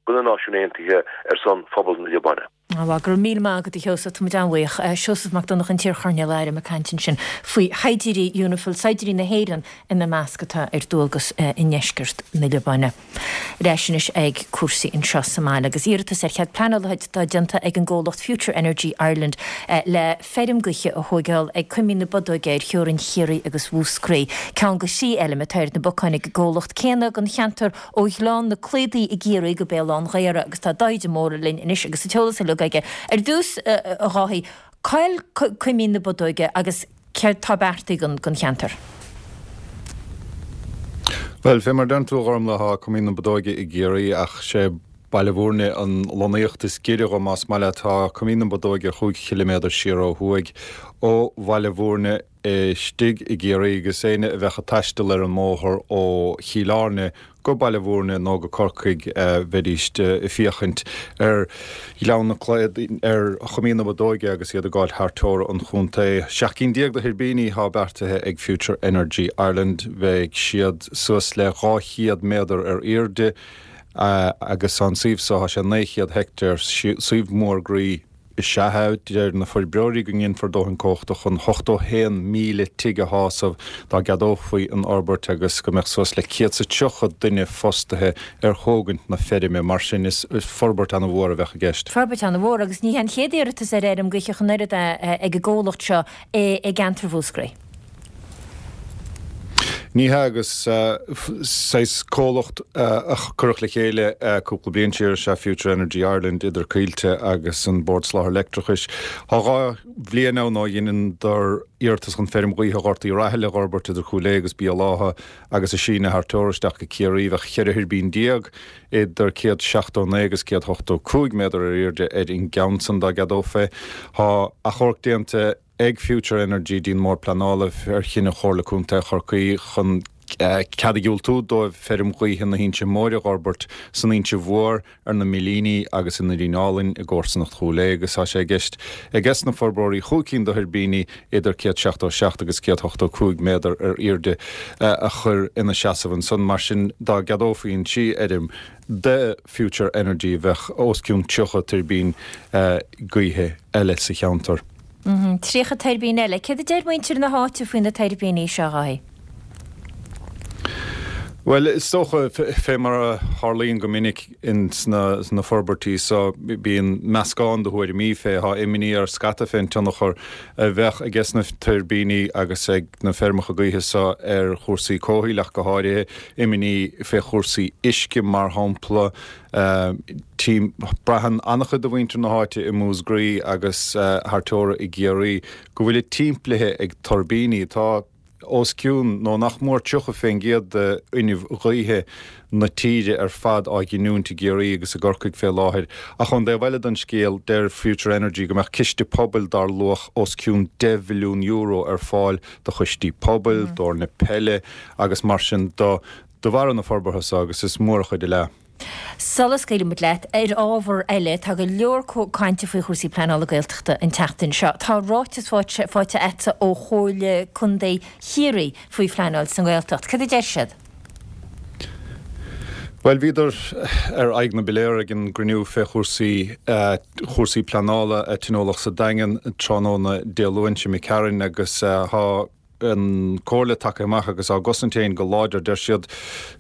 H: do na Náisiúin Aontaithe ar son phobal na Liobáine.
A: Bhuel, go raibh míle maith agat a Sheosaimh, tá muid an-bhuíoch. Seosamh Mac Donncha, an t-iar-choirnéal airm ag caint ansin faoi shaighdiúirí Unifil, saighdiúirí na hÉireann ina measc atá ar dualgas i ndeisceart na Liobáine. Ar ais anois ag cúrsaí anseo sa mbaile agus iarratas ar chead pleanála atá déanta ag an gcomhlacht Future Energy Ireland le feirm gaoithe a thóigeáil ag Coimín na Bodóige ar theorainn Chiarraí agus Mhúscraí. Ceann de thrí fheilm atá ar na bacáin ag an gcomhlacht céanna don cheantar ó Ghleann na Cladaí i gCiarraí go Béal Átha an Ghaorthaidh agus tá Dáithí de Mórdha linn anois agus an t-eolas uilig aige. Ar dtús, a Dháithí, cá'il Coimín na Bodóige agus céard tá beartaithe don cheantar?
I: Bhuel, fé mar a deireann tú, a Ghormlaith, tá Coimín na Bodóige i gCiarraí ach sé Baile Bhúirne an lonnaíocht is giorra dho, más maith leat. Tá Coimín na Bodóige chúig chiliméadar siar ó thuaidh ó Bhaile Bhúirne istigh i gCiarraí agus éinne a bheadh ag taisteal ar an mbóthar ó Chill Airne go Baile Bhúirne nó go Corcaigh bheidíst ag féachaint ar Ghleann na Cladaí, ar Choimín na Bodóige agus iad ag gabháil thar teora an chontae. Seacht gcinn déag de thuirbíní atá beartaithe ag Future Energy Ireland. Bheadh siad suas le dhá chéad méadar ar airde agus an suíomh so, tá sé naoi chéad heicteár, suíomh mór groí is ea é. Deir na forbróirí go nginfear dóthain cumhachta chun ochtó haon míle tigh a shásamh dá gceadófaí an fhorbairt agus go mbeadh suas le céad 's a tríocha duine fostaithe ar thógaint na feirme. Mar sin is forbairt ana-mhór a bheadh i gceist.
A: Forbairt ana-mhór agus ní hé an chéad iarratas ar fheirm gaoithe ach an oiread é ag an gcomhlacht seo i gceantar Mhúscraí.
I: Ní hea, agus saghas comhlacht a cuireadh le chéile cúpla bliain siar is ea Future Energy Ireland idir Coillte agus an Bord Soláthair Leictreachais. Tá dhá bhliain ann ó dheineadar iarratas chun feirm ghaoithe Ghort Uí Rathaille a dh'fhorbairt idir Cúil Aodha agus Béal Átha agus a síneadh thar teora isteach go Ciarraí. Bheadh ceithre thuirbín déag idir céad seachtó naoi agus céad ochtó cúig méadar ar airde ar an gceann san dá gceadófaí é. Tá achomharc déanta ag Future Energy dtí'n mBord Pleanála ar chinneadh Chomhairle Contae Chorcaí chun cead a dhiúltú dóibh feirm ghaoithe na hInse Móire a dh'fhorbairt san Inse Mhór, ar na Millíní agus i nDoirín Álainn i gcomharsanacht Chúil Aodha agus tá sé i gceist aiges na forbróirí chúig cinn de thuirbíní idir céad seachtó seacht agus céad ochtó cúig méadar ar airde a chur ina seasamh ansan. Mar sin dá gceadófaí an trí fheirm do Future Energy bheadh os cionn tríocha tuirbín gaoithe eile sa cheantar.
A: Tríocha tuirbín eile. Céard a deir muintir na háite faoi na tuirbíní seo, a Dháithí?
I: Bhuel, is dócha, fé mar a tharlaíonn go minic ins na forbairtí so, bíonn meascán de thuairimí fé. Tá imní ar scata fén tionchar a bheadh aiges na tuirbíní agus ag na feirmeacha gaoithe so ar chúrsaí comhshaoil ach go háirithe, imní fé chúrsaí uisce mar shampla. Braitheann an-chuid de mhuintir na háite i Músgraí agus thar teora i gCiarraí go bhfuilid timplithe ag tuirbíní. Tá os cionn, nó nach mór tríocha fén gcéad de fhuinneamh gaoithe na tíre ar fad á ghiniúint i gCiarraí agus i gCorcaigh fé láthair. Ach ón dtaobh eile den scéal, deir Future Energy go mbeadh ciste pobail dar luach os cionn deich mhilliún euro ar fáil do choistí pobail, d'fhoirne peile agus mar sin de de bharra na forbartha so agus is mór an chuid a leath.
A: Sula scaoilimid leat, ar ábhar eile, tá go leor cainte faoi chúrsaí pleanála Gaeltachta an tseachtain seo. Tá ráiteas faighte agatsa ó Chomhairle Contae Chiarraí faoi phleanáil sa nGaeltacht. Cad a deir siad?
I: Bhuel, bhíodar ar aghaidh na bpiléar ag an gcruinniú fé chúrsaí chúrsaí pleanála a tionóladh sa Daingean tráthnóna Dé Luain seo imigh tharainn agus tá an Comhairle tagtha amach agus á gcosaint féin go láidir. Deir siad,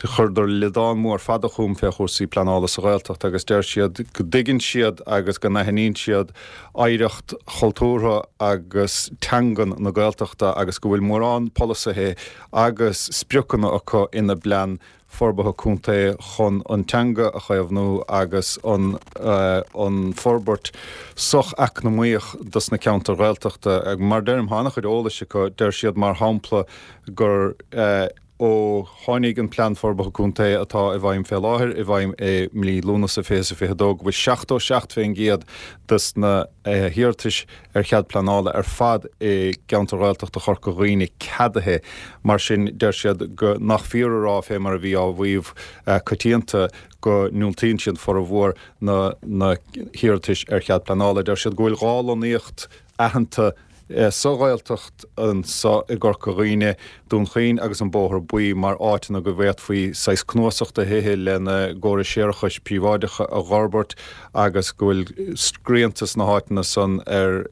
I: chuireadar liodán mór fada chugam fé chúrsaí pleanála sa Ghaeltacht agus deir siad go dtuigeann siad agus go n-aithníonn siad oidhreacht chultúrtha agus teangan na Gaeltachta agus go bhfuil mórán polasaithe agus spriocanna acu ina bplean forbartha contae chun an teanga a chaomhnú agus an an forbairt soch-eacnamaíoch dos na ceantair Ghaeltachta. Mar deirim, tá an-chuid eolais acu, deir siad mar shampla gur ó tháinig an Plean Forbartha Contae atá i bhfeidhm fé láthair i bhfeidhm i mí Lúnasa fiche is a fiche dó go bhfuil seachtó seacht fén gcéad dos na hiarratais ar chead pleanála ar fad i gceantar Ghaeltachta Chorca Dhuibhne ceadaithe. Mar sin, deir siad go nach fíor a rá, fé mar a bhí á mhaíomh coitianta, go ndiúltaíonn siad formhór na na hiarratais ar chead pleanála. Deir siad go bhfuil dhá lonnaíocht aitheanta sa Ghaeltacht anso i gCorca Dhuibhne, Dún Chaoin agus an Bóthar Buí mar áiteanna go bhféadfaí saghas cnuasach de thithe lena gcórais séarachais príobháideacha a dh'fhorbairt agus go bhfuil srianta sna háiteanna san ar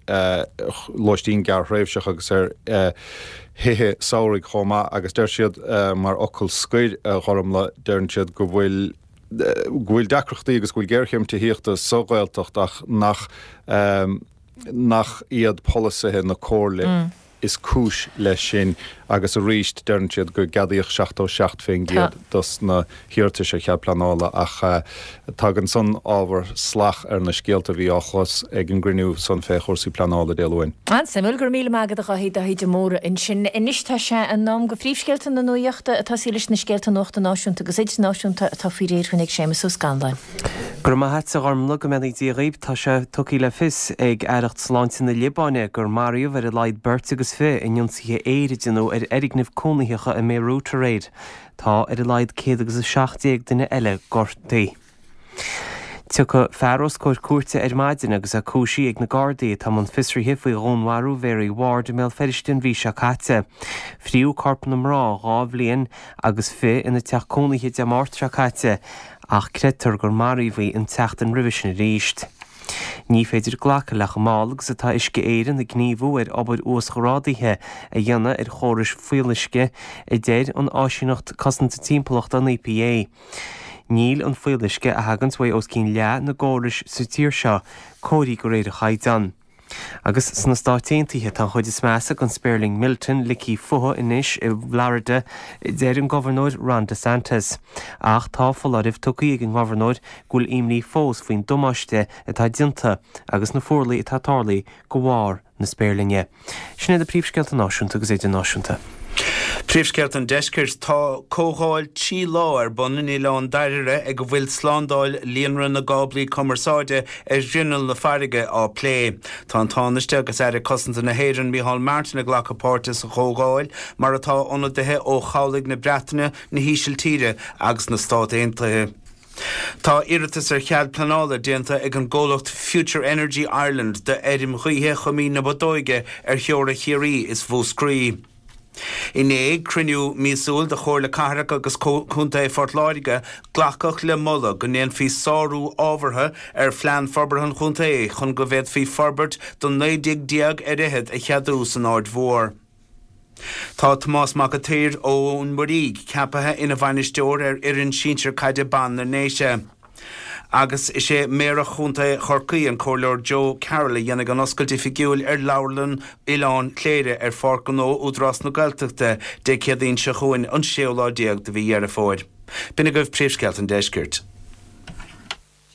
I: lóistín gearrthréimhseach agus ar thithe samhraidh chomh maith agus deir siad mar fhocal scoir a Ghormlaith, deireann siad go bhfuil go bhfuil deacrachtaí agus go bhfuil géarchéim tithíochta sa Ghaeltacht ach nach nach iad polasaithe na Comhairle is cúis leis sin agus arís deireann siad go gceadaíodh seachtó seacht fén gcéad dos na hiarratais ar chead pleanála ach tagann san ábhar salach ar na scéalta a bhí á chlos ag an gcruinniú san fé chúrsaí pleanála Dé Luain.
A: An-suimiúil. Go raibh míle maith agat a Dháithí, Dáithí de Mórdha ansin. Anois tá sé in am do phríomhscéalta na nuachta ag tosaí leis na scéalta nuachta náisiúnta agus idirnáisiúnta atá faoi réir againn ag Séamus Ó Scanláin.
B: Go raibh maith a't, a Ghormlaith, go mbeannaí Dia dhaoib. Tá sé tugtha le fios ag Aireacht Sláinte na Liobáine gur maraíodh ar a laghad beirt agus fiche in ionsaithe aeir a deineadh ar fhoirgnimh cónaitheacha i mBeirut aréir. Tá ar a laghad céad agus a seacht déag duine eile gortaithe. Tiocfaidh fear os comhair cúirte ar maidin agus é cúisithe ag na Gardaí atá i mbun fiosraithe faoi dhúnmharú Mhary Ward i mBéal Feirste an mhí seo caite. Fríodh corp na mná dhá bhliain agus fiche ina teach cónaithe Dé Máirt seo caite ach creidtear gur maraíodh í an tseachtain roimhe sin arís. Ní féidir glacadh le chomh mall agus atá Uisce Éireann ag gníomhú ar obair uasghrádaithe a dhéanamh ar chórais fuíolluisce, a deir an Áisíneacht Cosanta Timpeallachta, an EPA. Níl an fuíolluisce a thaganns uaidh os cionn leath na gcórais sa tír seo cóirithe de réir an chaighdeáin. Agus sna Stáit Aontaithe, tá an chuid is measa den spéirling Milton ligthe fúthu anois i bhFlorida, a deir an Gobharnóir Ron DeSantis. Ach tá foláireamh tugtha ag an ngobharnóir go bhfuil imní fós faoin damáiste atá déanta agus na fuarlaigh atá tarlaithe de bharr na spéirlinge. Sin iad na príomhscéalta náisiúnta agus idirnáisiúnta.
C: Príomhscéalta an Deiscirt Tá comhdháil trí lá ar bun in Oileán Dairbhre ag a bhfuil slándáil líonra na gcáblaí cumarsáide ar ghrinneall na farraige á plé. Tá an Tánaiste agus Aire Cosanta na hÉireann Micheál Martin ag glacadh páirte sa chomhdháil, mar atá ionadaithe ó chabhlaigh na Breataine, na hÍsiltíre agus na Stát Aontaithe. Tá iarratas ar chead pleanála déanta ag an gcomhlacht Future Energy Ireland d'fheirm ghaoithe Choimín na Bodóige ar theora Chiarraí is Mhúscraí. Inné, ag cruinniú míosúil de Chomhairle Cathrach agus Contae Phort Láirge, glacadh le moladh go ndéanfaí sárú ábhartha ar Phlean Forbartha an Chontae chun go bhféadfaí forbairt do naoi dtigh déag ar fhichead a cheadú san Aird Mhór. Tá Tomás Mac an tSaoir ón Muirígh ceaptha ina bhainisteoir ar fhoireann sinsir caide ban na nDéise. Agus is é Méara Chontae Chorcaí, an Comhairleoir Joe Carroll a dhéanfaidh an oscailt oifigiúil ar Leabharlann Oileán Chléire ar Pháirc Ghnó Údarás na Gaeltachta Dé Céadaoin seo chugainn, an séú lá déag de mhí Dheireadh Fómhair. B'in agaibh príomhscéalta an Deiscirt.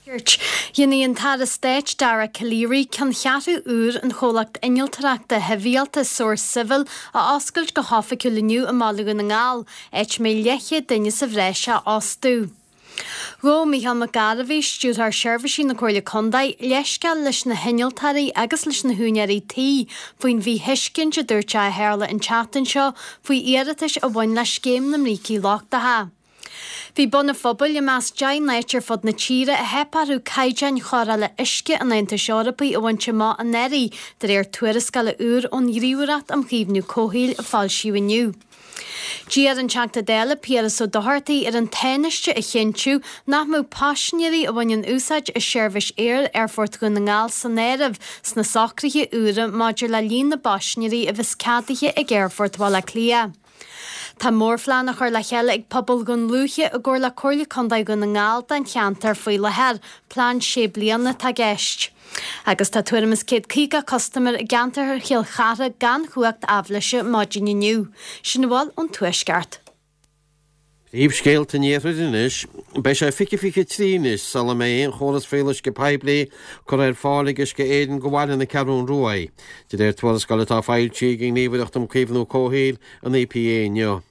D: Deiscirt. Dhéanfaidh an tAire Stáit Dara Calleary ceanncheathrú úr an chomhlacht innealtóireachta shibhialta Source Civil a oscailt go hoifigiúil inniu i mBaile Dhún na nGall, áit a mbeidh leathchéad duine sa bhreis á fhostú. Ghabh Micheál Mac Gairbheith, Stiúrthóir Seirbhísí na Comhairle Contae, leithscéal leis na hinnealtóirí agus leis na húinéirí tí faoin mhíthuiscint a dúirt sé a tharla an tseachtain seo faoi iarratais a bhain le scéim na mbrící lochtacha. Bhí Bun an Phobail i measc deich n-áit ar fud na tíre a theip orthu caighdeáin chóireála uisce an Aontais Eorpaigh a bhaint amach anuraidh, de réir tuarascála úr ón Ghníomhaireacht um Chaomhnú Comhshaoil a foilsíodh inniu. D'iarr an Teachta Dála Piaras Ó Dochartaigh ar an Tánaiste a chinntiú nach mbeadh paisinéirí a bhaineann úsáid as seirbhís aeir Aerfort Dhún na nGall san áireamh sna socruithe úra maidir le líon na bpaisinéirí a bheas ceadaithe ag Aerfort Bhaile Átha Cliath. Tá mórphlean á chur le chéile ag pobal Dhún Lúiche i gcomhar le Comhairle Contae Dhún na nGall don cheantar faoi láthair, plean sé bliana atá i gceist. Agus tá tuairim is céad caoga custaiméir i gceantar Chill Chartha gan chumhacht aibhléise maidin inniu. Sin a bhfuil ón Tuaisceart.
E: Príomhscéalta an Iarthair anois. Beidh sé fiche fiche trí anois sula mbeidh aon chóras fuíolluisce poiblí curtha ar fáil ag Uisce Éireann go bhaile na Ceathrún Rua, de réir tuarascáil atá foilsithe ag an nGníomhaireacht um Caomhnú Comhshaoil, an EPA, inniu.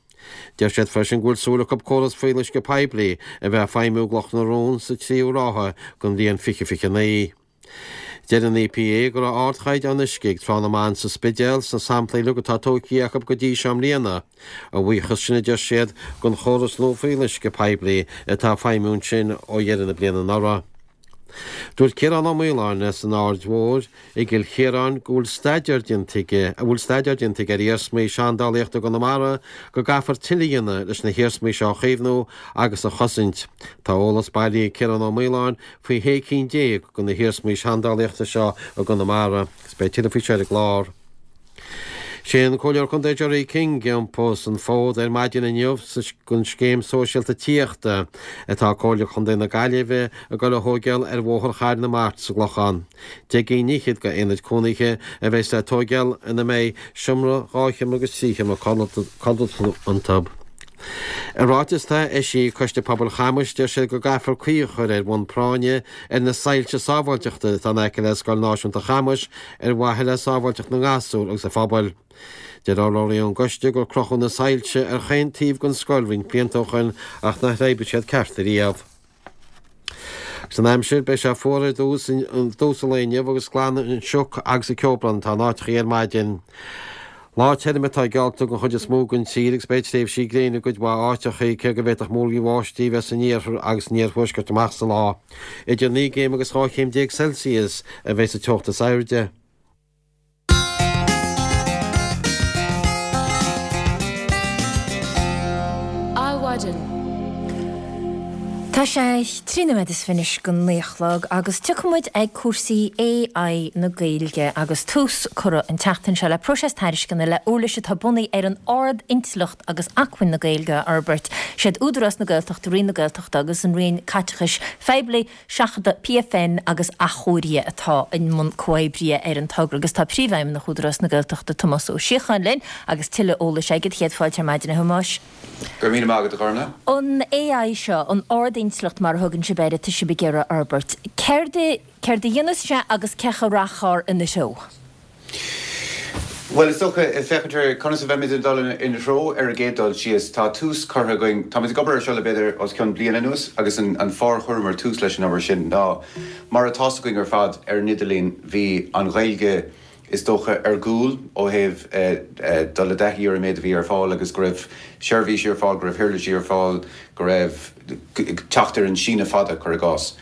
E: Deir siad freisin go bhfuil súil acu córas fuíolluisce poiblí a bheith ag feidhmiú i gCloch na Rón sa tríú ráithe den bhliain fiche fiche naoi. Deir an EPA go raibh ardchaighdeán uisce ag Trá na mBan sa Spidéal sna samplaí uilig atá tógtha acu go dtí seo i mbliana, a bhuíochas sin, a deir siad, don chóras nua fuíolluisce poiblí atá ag feidhmiú ansin ó dheireadh na bliana anuraidh. Dúirt Ciarán Ó Maoláin as an Aird Mhóir i gCill Chiaráin go bhfuil staidéar déanta aige a bhfuil staidéar déanta aige ar iarsmaí seandálaíochta i gConamara go gcaithfear tuilleadh a dhéanamh leis na hiarsmaí seo a chaomhnú agus a chosaint. Tá eolas bailithe ag Ciarán Ó Maoláin faoi shé cinn déag de na hiarsmaí seandálaíochta seo i gConamara agus beidh tuilleadh faoi seo ar an gclár. Sé an Comhairleoir Contae Gerry King a iompós an fód ar maidin inniu don scéim sóisialta tithíochta atá Comhairle Chontae na Gaillimhe ag dul a thóigeáil ar Bhóthar Chathair na Mart sa gClochán. Deich gcinn fhichead de aonaid cónaithe a bheas le tóigeáil ina mbeidh seomra, dhá sheomra agus trí sheomra codlata iontu. I ráiteas atá eisithe ag Coiste Pobail Chamais, deir siad go gcaithfear caoi a chur ar bhonn práinne ar na soilse sábháilteachta atá in aice le Scoil Náisiúnta Chamais ar mhaithe le sábháilteacht na ngasúr agus an phobail. Deir urlabhraí ón gcoiste gur crochadh na soilse ar chaon taobh den scoil roinnt blianta ó shoin ach nach oibrigh siad ceart ariamh. Agus an aimsir, beidh sé fuar ar dtús dtús an lae inniu agus glan an sioc agus an ceobrán atá in áiteachaí ar maidin. Lá tirim atá geallta don chuid is mó den tír agus beidh tréimhsí gréine i gcuid mhaith áiteachaí, cé go bhféadfadh múraíl bháistí a bheith san iarthar agus san iarthuaisceart amach sa lá. Idir naoi gcéim agus dhá chéim déag Celsius a bheidh sa teocht is airde.
A: Adhmhaidin. Tá sé trí nóiméad is fiche anois go naoi a chlog agus tiocfaidh muid ag cúrsaí AI na Gaeilge agus tús curtha an tseachtain seo le próiseas tairisceana le uirlis atá bunaithe ar an ard-intleacht agus acmhainn na Gaeilge a fhorbairt. Siad Údarás na Gaeltachta, Roinn na Gaeltachta agus an Roinn Caiteachais Phoiblí, Seachadadh PFN agus Athchóirithe atá i mbun comhoibrithe ar an togra agus tá Príomhfheidhmeannach Údarás na Gaeltachta Tomás Ó Síocháin linn agus tuilleadh eolais aige. Céad fáilte ar maidin a Thomáis.
J: Go raibh míle maith agat, a Ghormfhlaith.
A: An AI seo, an ard-intleacht mar a thugann sibh air, atá sibh ag iarraidh a fhorbairt, céard a, céard a dhéanfas sé agus cén chaoi a rachfar ina threo?
J: Bhuel, is dócha, féachaint ar conas a bheimid ag dul ina threo ar an gcéad dul síos. Tá tús curtha againn, táimid ag obair ar seo le b'fhéidir os cionn bliain anuas agus an fáth ar chuireamar tús leis an obair sin ná mar atá's againn ar fad ar an idirlíon bhí an Ghaeilge, is dócha, ar gcúl ó thaobh dul i dtaithí ar an méid a bhí ar fáil agus go raibh seirbhísí ar fáil, go raibh huirlisí ar fáil, go raibh teacht ar an síneadh fada, cuir i gcás.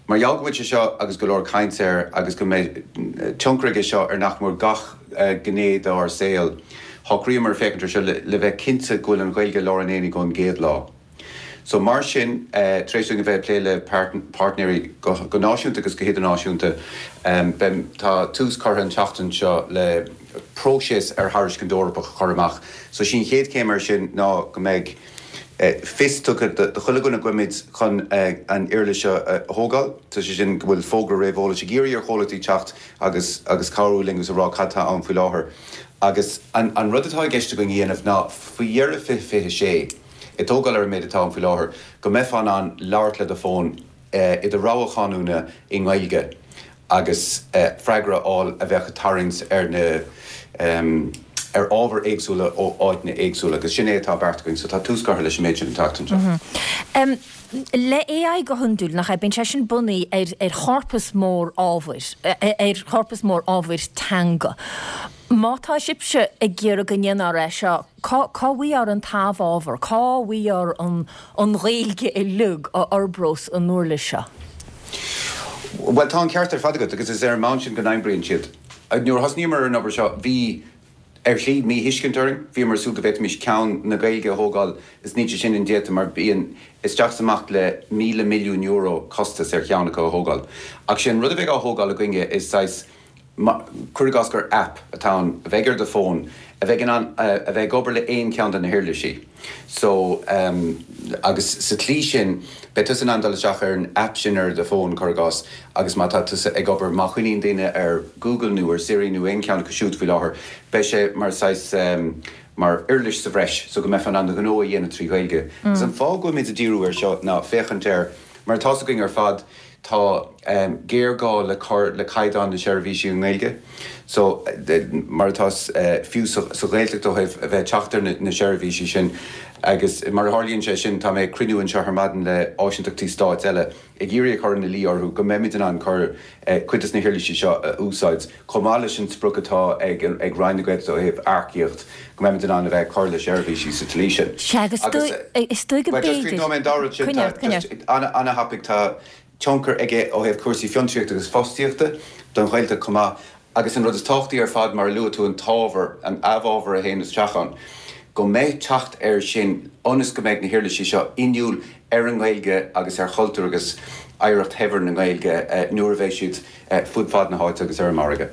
J: Mar gheall go bhfuil sé seo agus go leor caint air agus go mbeidh tionchar aige seo ar nach mór gach gné dár saol, shocraíomar féachaint ar seo le bheith cinnte go bhfuil an Ghaeilge i lár an aonaigh ón gcéad lá. So mar sin, tar éis dúinn a bheith ag plé le páirtnéirí go náisiúnta agus go hidirnáisiúnta, tá tús curtha an tseachtain seo le próiseas ar thairiscint Eorpach a chur amach. So sí an chéad chéim air sin ná go mbeidh fios tugtha do chuile dhuine go bhfuilimid chun an uirlis seo a thógáil, so sé sin go bhfuil fógra réamheolais ag iarraidh ar chomhlachtaí teacht agus agus cabhrú linn agus a rá cad tá ann faoi láthair. Agus an rud atá i gceist againn a dhéanamh ná faoi dheireadh fiche fiche sé, ag tógáil ar an méid atá ann faoi láthair, go mbeifeá in ann labhairt le do fón i do rogha chanúna i nGaeilge agus freagra a fháil a bheadh ag tarraingt ar na ar ábhair éagsúla ó áiteanna éagsúla agus sin é atá beartaithe againn so tá tús curtha leis an méid sin an tseachtain
A: seo. Le AI go hiondúil, nach ea, bíonn sé sin bunaithe ar ar chorpas mór ábhair, ar chorpas mór ábhair teanga. Má tá sibhse ag iarraidh go ndéanfar é seo, cá bhfaighfear an t-amhábhar, cá bhfaighfear an Ghaeilge uilig a fhorbródh an uirlis seo?
J: Bhuel, tá an ceart ar fad agat agus is ar an mbonn sin go n-oibríonn siad. Nuair a thosnaíomar ar an obair seo, bhí, ar shlí, míthuiscint orainn. Bhíomar ag súil go bhféadfaimis ceann na Gaeilge a thógáil is níl sé sin indéanta mar bíonn isteach is amach le míle milliún euro costas ar cheann acu a thógáil. Ach sé an rud a bheidh á thógáil againne is saghas, Cuir i gcás gur app atá ann a bheidh ar do fón, a bheidh in ann a bheith ag obair le aon cheann de na huirlisí. So, agus sa tslí sin, beidh tusa in ann dul isteach ar an app sin ar do fón, cuir i gcás, agus má tá tusa ag obair, má choinníonn daoine ar Google nó ar Siri nó aon cheann acu siúd faoi láthair, beidh sé mar saghas, mar uirlis sa bhreis so go mbeifeá in ann do ghnó a dhéanamh trí Ghaeilge. Agus an fáth go bhfuilimid ag díriú air seo ná féachaint ar, mar atá's againn ar fad, Tá géarghá le cur le caighdeán na seirbhísí i nGaeilge. So, mar atá fiú sa Ghaeltacht ó thaobh a bheith ag teacht ar na seirbhísí sin. Agus mar a tharlaíonn sé sin, tá mé ag cruinniú anseo ar maidin le áisíntachtaí stáit eile ag iarraidh a chur ina luí orthu go mbeimid in ann cur cuid des na huirlisí seo a úsáid chomh maith leis an sprioc atá ag Roinn na Gaeltachta ó thaobh earcaíocht, go mbeimid in ann a bheith ag cur le seirbhísí sa tslí sin.
A: Sea, agus is dóigh go
J: b'fhéidir. Just críochnóidh mé an dá rud sin, tá just ana-thapaidh, tá. tionchar aige ó thaobh cúrsaí fiontraíochta agus fostaíochta don Ghaeltacht chomh maith agus an rud is tábhachtaí ar fad, mar a luaigh tú, an t-ábhar, an amhábhar a théann isteach ann, go mbeidh teacht air sin ionas go mbeidh na huirlisí seo inniúil ar an nGaeilge agus ar chultúr agus oidhreacht shaibhir na Gaeilge nuair a bheidh siad fud fad na háite agus ar an margadh.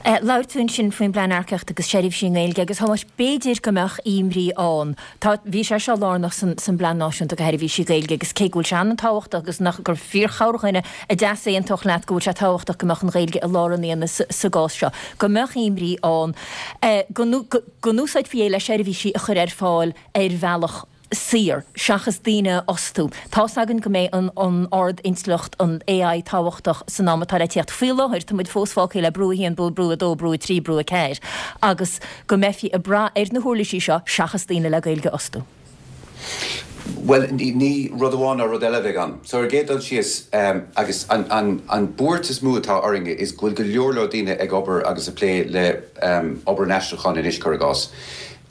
A: Labhair tú ansin faoin bplean earcaíochta agus seirbhísí i nGaeilge agus a Thomáis, b'fhéidir go mbeadh imní ann. Tá, bhí sé seo lárnach san san bPlean Náisiúnta do Sheirbhísí Gaeilge agus cé go bhfuil sé an-tábhachtach agus nach gur fíor-chorrdhuine a d'easaontódh leat go bhfuil sé tábhachtach go mbeadh an Ghaeilge i lár an aonaigh sa sa gcás seo, go mbeadh imní ann go go n-úsáidfí é le seirbhísí a chur ar fáil ar bhealach saor, seachas daoine a fhostú. Tá's againn go mbeidh an an ard-intleacht, an AI, tábhachtach san am atá le tíocht. Faoi láthair, tá muid fós fágtha le brú a haon, brú brú a dó, brú a trí, brú a ceathair, agus go mbeifí ag brath ar na huirlisí seo seachas daoine le Gaeilge a fhostú.
J: Bhuel, ní rud amháin ná rud eile a bheidh ann. So, ar an gcéad dul síos, agus an an an buairt is mó atá orainn is go bhfuil go leor leor daoine ag obair agus ag plé le obair an aistriúcháin anois, cuir i gcás.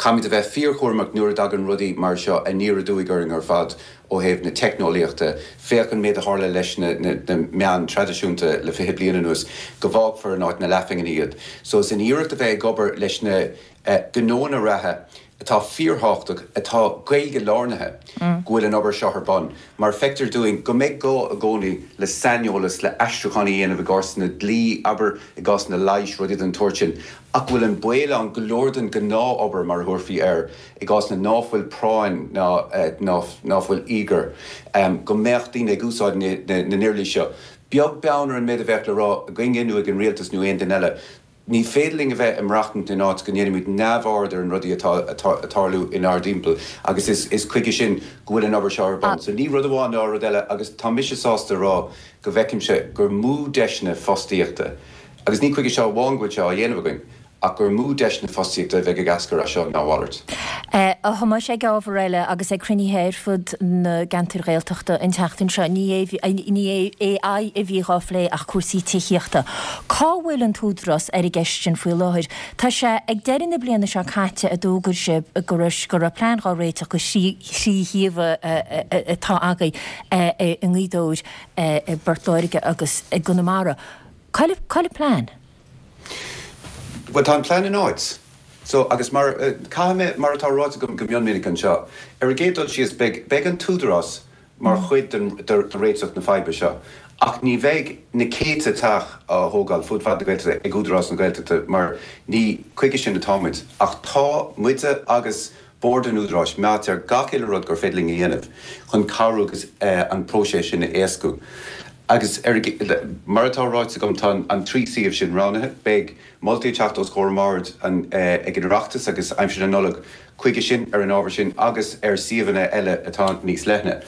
J: Caithfimid a bheith fíorchúramach nuair a dtagann rudaí mar seo aniar aduaidh orainn ar fad ó thaobh na teicneolaíochta. Féach an méid a tharla leis na meáin traidisiúnta le fiche bliain anuas, go bhfágfar in áit na leathphingine iad. So is in iarracht a bheith ag obair leis na gnóanna reatha atá fíorthábhachtach, atá Gaeilge-lárnaithe, go bhfuil an obair seo ar bun. Mar feictear dúinn go mbeidh gá i gcónaí le saineolas, le aistriúchán a dhéanamh i gcásanna dlí, abair, i gcásanna leighis, rudaí den tsórt sin. Ach go bhfuil an baol ann go leor den ghnáth-obair, mar a thabharfaí air, i gcásanna ná fuil práinn ná ná fuil íogair, go mbeadh daoine ag úsáid na n-uirlisí seo. Beag beann ar an méid a bheadh le rá againne nó ag an rialtas nó aon duine eile, ní féidir linn a bheith ag maireachtaint in áit go ndéanaimid neamhaird ar an rudaí atá ag tarlú inár dtimpeall agus is chuige sin go bhfuil an obair seo ar bun. So ní rud amháin ná rud eile agus tá mise sásta a rá go bhfeicimse gur mó deiseanna fostaíochta, Agus ní chuige seo amháin go bhfuil sé á dhéanamh againn, ach gur mó deiseanna fostaíochta a bheidh ag eascair as seo ná a mhalairt.
A: A Thomáis, ag ábhar eile, agus ag cruinnithe ar fud na gceantar Gaeltachta an tseachtain seo, ní AI a bhí dhá phlé ach cúrsaí tithíochta. Cá bhfuil an tÚdarás ar an gceist sin faoi láthair? Tá sé ag deireadh na bliana seo caite a d'fhógair sibh go raibh go raibh plean dhá réiteach do thrí shuíomh atá agaibh i nGaoth Dobhair, i bPort Láirge agus i gConamara. Cá bhfuil an plean?
J: Bhuel, tá an plean in áit. So, agus mar, caithfidh mé, mar atá ráite agam go mion minic anseo, ar an gcéad dul síos, beidh, beidh an tÚdarás mar chuid den, de réiteach na faidhbe seo. Ach ní bheidh na céadta teach á thógáil fud fad na Gaeltachta ag Údarás na Gaeltachta mar ní chuige sin atáimid. Ach tá muide agus Bord an Údaráis meáite ar gach uile rud gur féidir linn a dhéanamh chun cabhrú agus an próiseas sin a éascú. Agus ar, mar atá ráite agam, tá an trí suíomh sin roghnaithe. Beidh moltaí ag teacht os comhair an Bhoird ag an Oireachtas agus aimsir na Nollag chuige sin ar an ábhar sin agus ar suíomhanna eile atá níos leithne.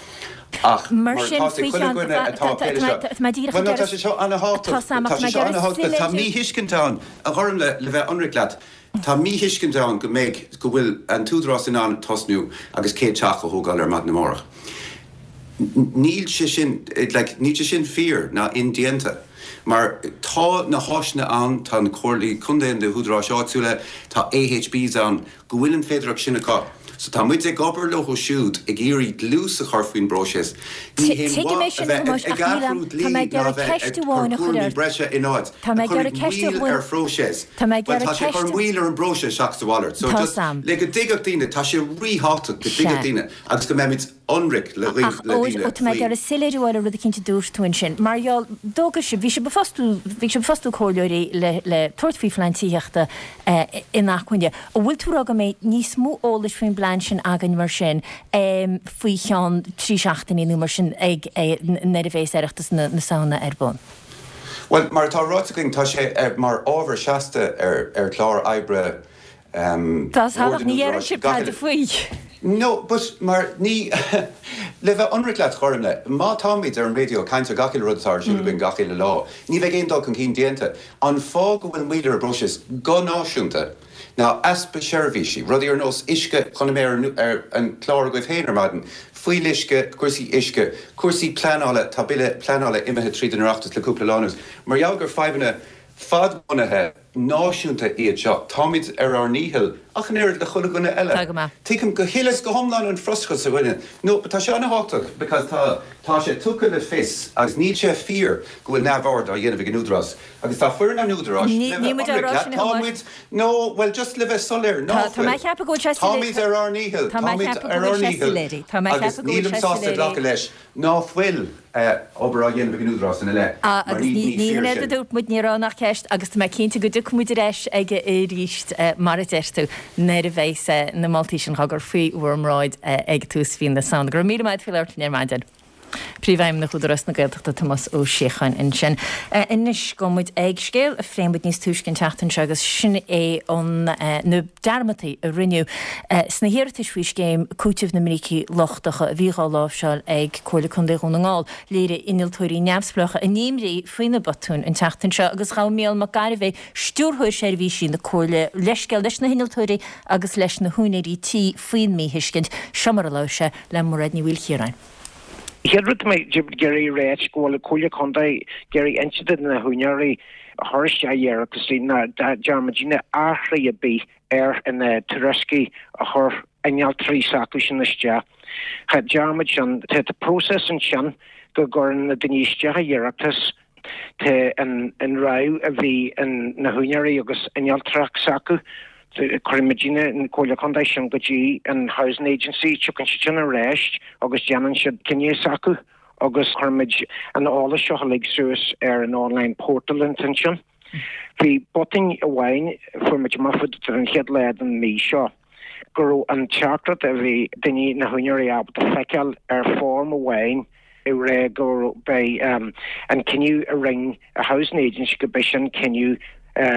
J: Ach
A: Mar
J: mar
A: sin,
J: atá ag
A: faoi
J: chuile
A: cheann,
J: dhuine atá ag plé leis seo,
A: tá mé díreach
J: bhuel
A: ag
J: no, tá
A: iarraidh,
J: sé seo ana-thábhachtach,
A: tá Sam,
J: tá
A: ach tá
J: sé
A: mé ag
J: seo
A: iarraidh
J: ana-thábhachtach, tá
A: soiléiriú.
J: míthuiscint ann, a Ghormfhlaith, le bheith ionraic leat. Tá míthuiscint ann go mbeidh, go bhfuil an tÚdarás in ann tosnú agus céad teach a thógáil ar maidin amárach. Níl sé sin, like, níl sé sin fíor ná indéanta. Mar tá na háiseanna ann, tá na comhairlí contae, na húdaráis áitiúla, tá AHBs ann go bhfuil an féidearthacht sin acu. So tá muid ag obair leo siúd ag iarraidh dlús a chur faoin bpróiseas. Ní haon mhaith a bheith ag athrú dlí ná a bheith ag cur cúraimí breise in áit a chuirfidh moill ar phróiseas. Bhuel, tá sé ag cur moill ar an bpróiseas seachas a mhalairt. So just le go dtuigfeadh daoine, tá sé ríthábhachtach go dtuigfeadh daoine agus go mbeimid ionraic le
A: Ach, ó, tá mé ag iarraidh soiléiriú a fháil ar rud eicínt a dúirt tú ansin. Mar gheall, d'fhógair sibh, bhí sibh ag fostú, bhí sibh ag fostú comhairleoirí le, le tabhairt faoi phlean tithíochta inacmhainne. An bhfuil tú ag rá go mbeidh níos mó eolais faoin bplean sin againn mar sin faoi cheann trí seachtainí nó mar sin ag, nuair a bheas Oireachtas na Samhna ar bun?
J: Bhuel, mar atá ráite againn, tá sé mar ábhar seasta ar, ar chlár oibre
A: Tá
J: Bhord an
A: ní deireann
J: Údaráis
A: sibh
J: gach
A: tada
J: uile.
A: faoi.
J: No, but mar ní, le bheith ionraic leat, Ghormlaith, má táimid ar an raidió ag caint ar gach uile rud atá ar siúl againn gach uile lá, ní bheidh aon dul chun cinn déanta. An fáth go bhfuil moill ar an bpróiseas go náisiúnta ná easpa seirbhísí, rudaí ar nós uisce, chonaic mé ar ar an chlár agaibh féin ar maidin, fuíolluisce, cúrsaí uisce, cúrsaí pleanála, tá bille pleanála imithe tríd an Oireachtas le cúpla lá anuas, mar gheall gur fadhbanna fadbhunaithe náisiúnta iad seo. Táimid ar ár ndícheall, ach an oiread le chuile dhuine eile.
A: Tá go maith.
J: Tuigim go huile is go hiomlán an frustrachas a dhuine. No, but tá sé an-thábhachtach because tá, tá sé tugtha le fios agus níl sé fíor go bhfuil neamhaird á dhéanamh ag an Údarás. Agus tá foireann an Údaráis,
A: Ní,
J: le
A: níl
J: bheith
A: muid á
J: ionraic
A: rá
J: leat,
A: sin a
J: tá
A: Thomáis.
J: muid, no, bhuel just le bheith soiléir,
A: Tá,
J: ná
A: tá mé
J: fuil.
A: ag ceapadh go bhfuil sé soiléir,
J: Táimid ar ár ndícheall,
A: tá mé ag
J: táimid
A: ceapadh go
J: ar
A: bhfuil
J: ár
A: sé
J: ndícheall
A: soiléir. Tá mé ag
J: agus
A: ceapadh go bhfuil
J: nílim
A: sé
J: sásta
A: soiléir.
J: glacadh leis ná fuil. obair á dhéanamh ag an Údarás ina leith, mar
A: Agus
J: ní
A: ní
J: ní
A: ní
J: fíor
A: hin é a
J: sin.
A: dúirt muid, ní raibh ann ach ceist agus tá mé cinnte go dtiocfaidh muid ar ais aige arís, mar a deir tú, nuair a bheas na moltaí sin á gcur faoi bhur mbráid ag tús mhí na Samhna. Go raibh míle maith agat faoi labhairt linn ar maidin. Príomhfheidhmeannach Údarás na Gaeltachta Tomás Ó Síocháin ansin. Anois gabhfaidh muid ag scéal a phléigh muid níos túisce an tseachtain seo agus sin é an na dearmadtaí a rinneadh sna hiarratais faoi scéim cúitimh na mbrící lochtacha a bhí dhá láimhseáil ag Comhairle Contae Dhún na nGall. Léirigh innealtóirí neamhspleácha a n-imní faoi na botúin an tseachtain seo agus ghabh Mícheál Mac Gairbheith, Stiúrthóir Seirbhísí na Comhairle, leithscéal leis na hinnealtóirí agus leis na húinéirí tí faoin míthuiscint. Seo mar a labhair sé le Mairéad Ní Mhaoilchiaráin.
K: Chéad rud tá mé ag iarraidh a ráit go bhfuil Comhairle Contae ag iarraidh inse do na húinéirí a chuir isteach iarrataisí ná dearna muidne athrú ar bith ar na tuairiscí a chuir innealtóirí s'acu sin isteach. Cha dearna muid sin. Tá próiseas ansin go gcuireann na daoine isteach a iarratas. Tá an rogha a bhí ag na húinéirí agus innealtóireacht s'acu. Cuireann muidne, an Comhairle Contae, sin go dtí an Housing Agency, tiocfaidh siad sin ar ais agus déanann siad cinneadh s'acu agus cuireann muid an eolas seo uilig suas ar an online portal ansin. Bhí botún amháin, fuair muid amach faoi ar an chéad lá den mhí seo, go raibh an teachtaireacht a bhí daoine, na húinéirí ábalta feiceáil ar form amháin ag rá go b'é an cinneadh a rinne an Housing Agency go b'é sin cinneadh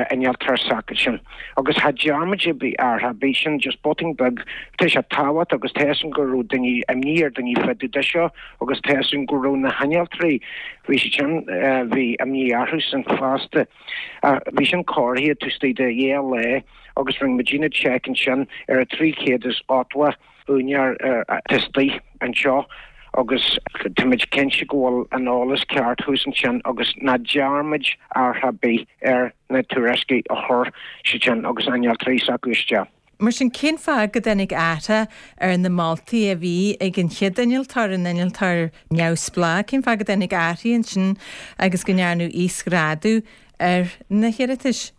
K: innealtóir s'acu sin. Agus cha dearna muid ar bith athrú ar bith, sin just botún beag. Tá sé tábhachtach agus tá fhios agam go raibh daoine, imní ar daoine fá dtaobh de seo agus tá fhios agam go raibh na hinnealtóirí, bhí siad sin, bhí imní orthu sin fosta. Ach bhí sin cóirithe taobh istigh de dhá lá agus rinne muidne check ansin ar a trí chéad is ochtó úinéir atá istigh anseo agus táimid cinnte go bhfuil an eolas ceart thuas ansin agus ná dearna muid athrú ar bith ar na tuairiscí a chuir siad sin agus innealtóirí s'acu isteach.
L: Mar sin, cén fáth go dtáinig athrú ar na moltaí a bhí ag an chéad innealtóir, an innealtóir neamhspleách, cén fáth go dtáinig athrú ansin agus go ndearnadh íosghrádú ar na hiarratais?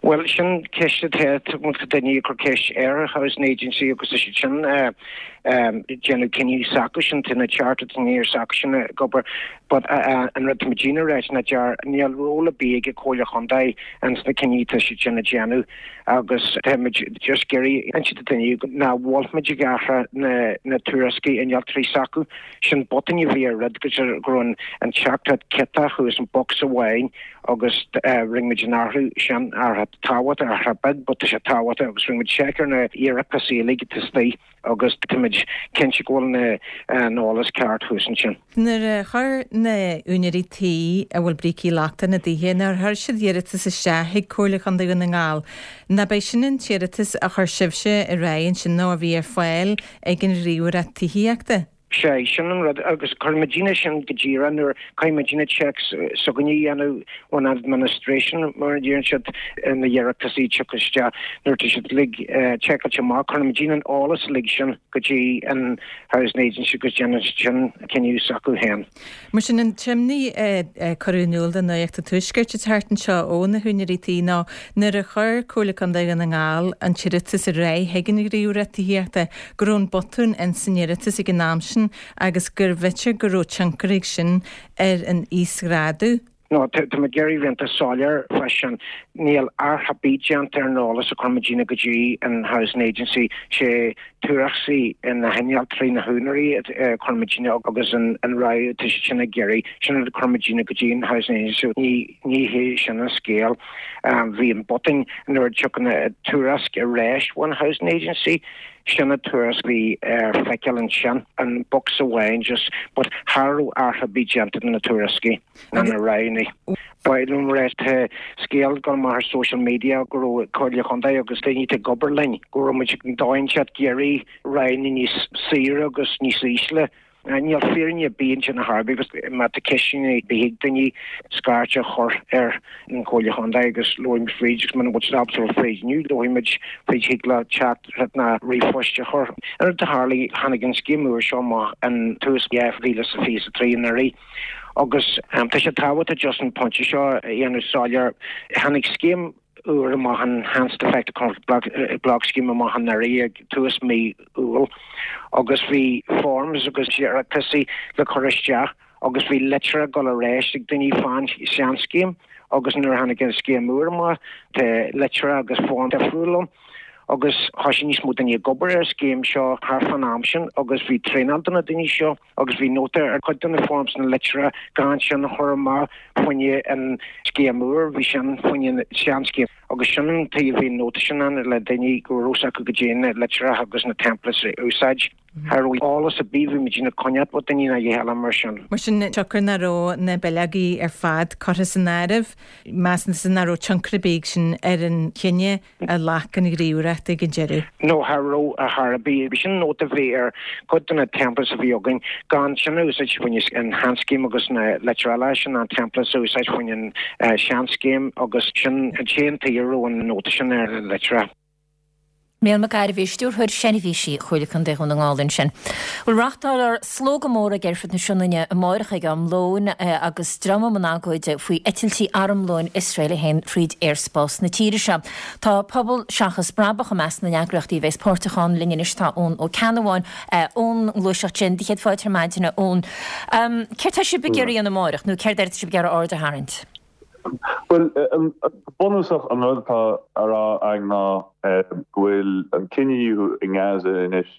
K: Bhuel, sin ceist atá, tá daoine ag cur ceist ar an Housing Agency agus tá siad sin ag déanamh cinneadh s'acu sin, tá na chartered engineers s'acu sin ag obair but an rud atá muidne a ráit ná dear, níl ról ar bith ag an Comhairle Chontae ins na cinní atá siad sin ag déanamh agus tá muid just ag iarraidh inse do daoine ná bhfuil muid ag athrú na na tuairiscí innealtóirí s'acu. Sin botún a bhí ar rud go raibh an teachtaireacht ciotach thuas in box amháin agus rinne muid an athrú sin, athrú tábhachtach, athrú beag but tá sé tábhachtach agus rinne muid seic ar na iarratais uilig atá istigh agus tá muid cinnte go bhfuil an eolas ceart thuas ansin.
L: Nuair a chuir na úinéirí tí a bhfuil brící lochtacha ina dtithe, nuair a chuir siad iarratas isteach chuig Comhairle Chontae Dhún na nGall, nach b'é sin an t-iarratas a chuir sibhse ar aghaidh ansin nó a bhí ar fáil ag an Ghníomhaireacht Tithíochta?
K: Sea, sin an rud, agus cuireann muidinne sin go díreach nuair caithfidh muidinne checks s'againne a dhéanamh ón administration mar a deireann siad na hiarrataisí ag teacht isteach nuair atá siad uilig checkáilte amach cuireann muidinne an eolas uilig sin go dtí an Housing Agency agus déanann siad sin cinneadh s'acu féin.
L: Mar sin an t-imní a cuireadh in iúl do Nuacht an Tuaiscirt an tseachtain seo ó na húinéirí tí ná nuair a chuir Comhairle Contae Dhún na nGall an t-iarratas ar aghaidh chuig an Ghníomhaireacht Tithíochta go raibh an botún ins an iarratas ag an am sin agus gurbh fhéidir go raibh tionchar ag sin ar an íosghrádú.
K: No, tá mé ag iarraidh bheith iontach soiléir fá sin. Níl athrú ar bith déanta ar an eolas a chuir muidinne go dtí an Housing Agency. Sé tuairiscí na hinnealtóirí, na húinéirí a chuir muidinne agus an rogha atá siad sin ag iarraidh, sin rud a chuir muidinne go dtí an Housing Agency. Ní ní hé sin an scéal. Bhí an botún nuair a tiocfaidh na tuairisc ar ais ón Housing Agency, sin an tuairisc a bhí ar feiceáil ansin, an box amháin just, but cha raibh athrú ar bith déanta do na tuairiscí ná na roghanna. Ba mhaith liom rá tá scéal ag dul amach ar social media go raibh Comhairle Chontae agus daoine atá ag obair linn, go raibh muid ag dóigh inteacht ag iarraidh roghanna níos saoire agus níos ísle. Níl fírinne ar bith ansin ar chor ar bith agus má tá ceisteanna ar bith ag daoine scairt a chur ar an Chomhairle Chontae agus labhróidh muid fríd agus muna bhfuil siad ábalta labhairt fríd inniu labhróidh muid fríd thig leo teacht ná ríomhphost a chur. An rud a tharlaigh, tháinig an scéim úr seo amach in tús dhá mhíle is a fiche a trí anuraidh agus tá sé tábhachtach just an pointe seo a dhéanamh soiléir. Tháinig scéim úr amach an Enhanced Effective Comfort Block Scheme amach anuraidh ag tús mí Iúil agus bhí forms agus iarrataisí le cur isteach agus bhí litreacha ag dul ar ais ag daoine fán seanscéim agus nuair a tháinig an scéim úr amach tá litreacha agus form difriúil ann agus thosaigh níos mó daoine ag obair ar an scéim seo thart fán am sin agus bhí traenáil do na daoine seo agus bhí nóta ar chuid de na forms na litreacha gan sin a chur amach fá choinne an scéim úr, bhí sin fá choinne an seanscéim agus sin an tuige a bhí an nóta sin ann le daoine go raibh fhios acu goidé na litreacha agus na templates a úsáid. Cha raibh eolas ar bith, bhí muid ag coinneáil ó daoine ná a dhath eile mar sin.
L: Mar sin, siocair nach raibh na bileogaí ar fad curtha san áireamh, measann tusa nach raibh tionchar ar bith ag sin ar an chinneadh a ghlac an Ghníomhaireacht ag an deireadh?
K: No, cha raibh ar chor ar bith. Bhí sin nóta a bhí ar chuid de na templates a bhí againn, gan sin a úsáid fá choinne an sheanscéim agus na litreacha eile sin an templates a úsáid fá choinne an seanscéim agus sin an t-aon tuige a raibh an nóta sin ar na litreacha.
A: Mícheál Mac Gairbhí, Stiúrthóir Seirbhísí Chomhairle Contae Dhún na nGall ansin. Bhuel, reáchtálfar slógadh mór ag Aerfort na Sionainne amárach ag am lóin agus dream i mbun agóide faoi eitiltí armlóin Iosrael a théann fríd aerspás na tíre seo. Tá Pobal Seachas Brabach i measc na n-eagraíochtaí a bheas páirteach ann. Linn anois tá Eoin Ó Ceannabháin ón ngluaiseacht sin. Céad fáilte ar maidin, a Eoin. Céard tá sibh ag iarraidh a dhéanamh amárach nó céard air atá sibh ag iarraidh aird a tharraingt?
M: Bhuel, go bunúsach an rud atá á rá againn ná go bhfuil an cinedhíothú i nGaza anois,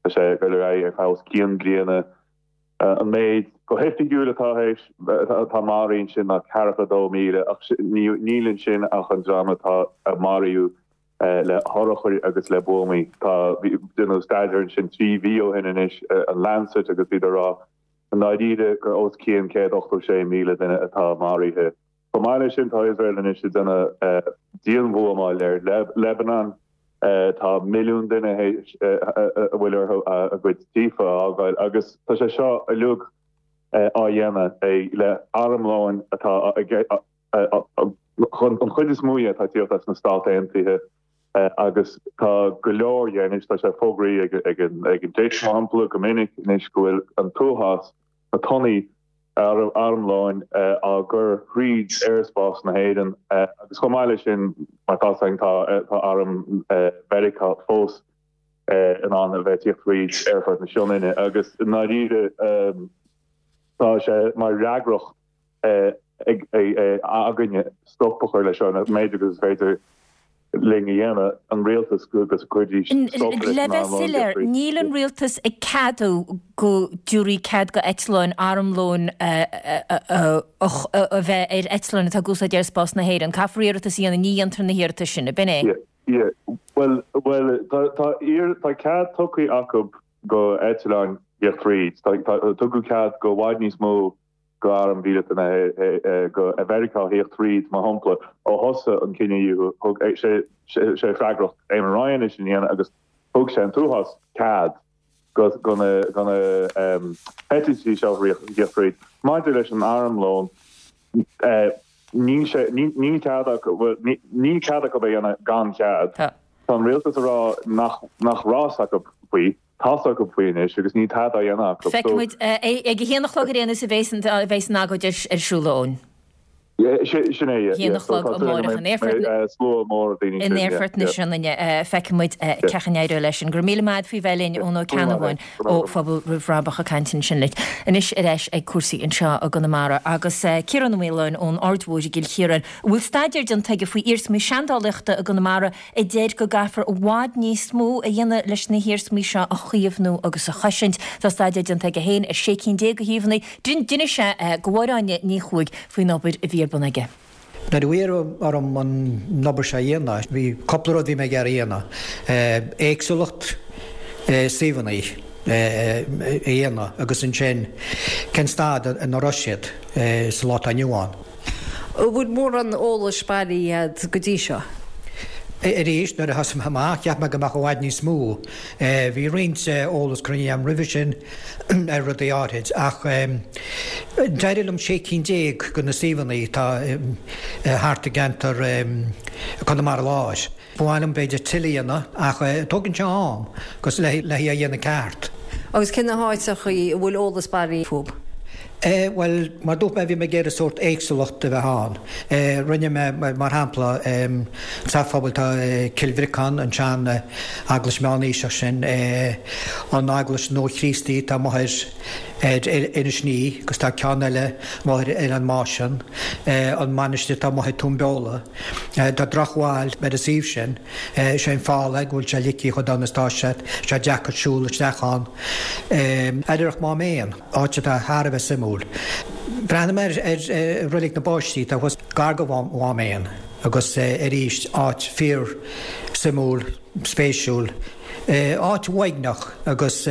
M: tá sé ag dul ar aghaidh ar feadh os cionn bliana. An méid go hoifigiúil atá théis, atá maraithe ansin ná ceathracha dó míle ach níl ansin ach an dream atá a maraíodh le hurchair agus le buamaí. Tá, déanadh staidéar ansin trí mhí ó shin anois, an Lancet agus bhíodar ag rá I ndáiríre gur os cionn céad ochtó sé míle duine atá maraithe. Chomh maith leis sin tá Iosrael anois ag déanamh dianbhuamáil ar Lebanon. Tá milliún duine a bhfuil orthu a gcuid tithe a fhágáil agus tá sé seo uilig á dhéanamh le armlóin atá an chuid is mó dhe atá ag tíocht as na Stát Aontaithe. Agus tá go leor dhe anois, tá sé fógraithe ag an Deis, mar shampla, go minic anois go bhfuil an t-uafás, na tonnaí armlóin á gcur thríd aerspás na hÉireann agus chomh maith leis sin, mar tá 's againn, tá arm Mheiriceá fós in ann a bheith ag tíocht thríd aerfort na Sionainne agus i ndáiríre tá sé mar fhreagracht againne stop a chur leis seo, an méid agus is féidir linn a dhéanamh, an rialtas go gcuirfidís stop leis
A: Le
M: an
A: bheith
M: armlón
A: soiléir,
M: difríocht.
A: níl an rialtas ag ceadú go dtabharfaí cead go eitleáin armlóin a bheith ar eitleáin atá ag úsáid aerspás na hÉireann. Caithfear iarratas a dhéanamh, ní dhéantar na hiarratais sin, ab in é?
M: Yeah, yeah. Bhuel, bhuel, tá, tá, tá cead tugtha acu go eitleáin thíocht fríd. Tá, tá, tugadh cead go i bhfad níos mó go arm mhíleata na go Mheiriceá thíocht thríd, mar shampla, ó thosaigh an cinedhíothú, thug sé sé freagracht Eamon Ryan é sin a dhéanamh agus thug sé an t-uafás cead go na heitiltí seo a thíocht tríd. Maidir leis an armlón, níl sé, níl cead acu, bhuel, níl cead acu é a dhéanamh gan chead. Tá an rialtas ag rá nach, nach raibh a fhios acu faoi, tá a fhios acu faoi anois agus níl tada á dhéanamh acu.
A: Feicfidh muid ag a haon a chlog ar aon nós a bheas an agóid ar siúl, a Eoin.
M: Sin é, yeah.
A: Haon a chlog amárach in Aerfort
M: Slua mór daoine
A: in Aerfort na Sionainne. Feicfidh muid cén chaoi a n-éireoidh leis sin. Go raibh míle maith agat faoi bheith linn, Eoin Ó Ceannabháin ó Phobal Roimh Bhrabach ag caint ansin linn. Anois ar ais ag cúrsaí anseo i gConamara agus Ciarán Ó Maoláin ón Aird Mhóir i gCill Chiaráin, a bhfuil staidéar déanta aige faoi iarsmaí seandálaíochta i gConamara a deir go gcaithfear i bhfad níos mó a dhéanamh leis na hiarsmaí seo a chaomhnú agus a chosaint. Tá staidéar déanta aige féin ar sé cinn déag de shuíomhanna. D'inis sé do Mháire Áine Ní Chuaig faoin obair a bhí ar bun aige.
N: Nuair a iarradh orm an obair seo a dhéanamh, bhí cúpla rud a bhí mé ag iarraidh a dhéanamh, éagsúlacht suíomhanna a dhéanamh agus ansin cén staid ina raibh siad sa lá atá inniu ann.
O: An bhfuil mórán eolais bailithe agat go dtí seo?
N: Arís, nuair a thosaigh mé amach, cheap mé go mbeadh i bhfad níos mó. Bhí roinnt eolas cruinnithe agam roimhe sin ar rudaí áirid, ach d'éirigh liom sé cinn déag de na suíomhanna atá thart i gceantar Chonamara Láir. Ba mhaith liom b'fhéidir tuilleadh a dhéanamh, ach tógann sé am agus le é a dhéanamh ceart.
O: Agus cé na háiteachaí a bhfuil eolas bailithe fúthu?
N: Bhuel, mar dúirt mé, bhí mé ag iarraidh sórt éagsúlacht a bheith ann. Rinne mé, mar shampla, sa phobal tá Cill Bhriocáin, an tsean eaglais meánaoiseach sin, an eaglais nua-Chríostaí atá amuigh ar Inis Ní agus tá ceann eile amuigh ar Oileán Máisean, an mainistir atá amuigh ag Tóin Beola. Tá drochbhail ar an suíomh sin. Is é an fáth go bhfuil sé ligthe chomh dona is atá sé, tá sé deacair siúl isteach ann. Oidhreacht Mhám Éan. áit atá thar a bheith suimiúil. Breathnaigh mé ar Reilig na bPáistí atá thuas gar go Mhám Éan agus arís áit fíor suimiúil, spéisiúil, áit uaigneach agus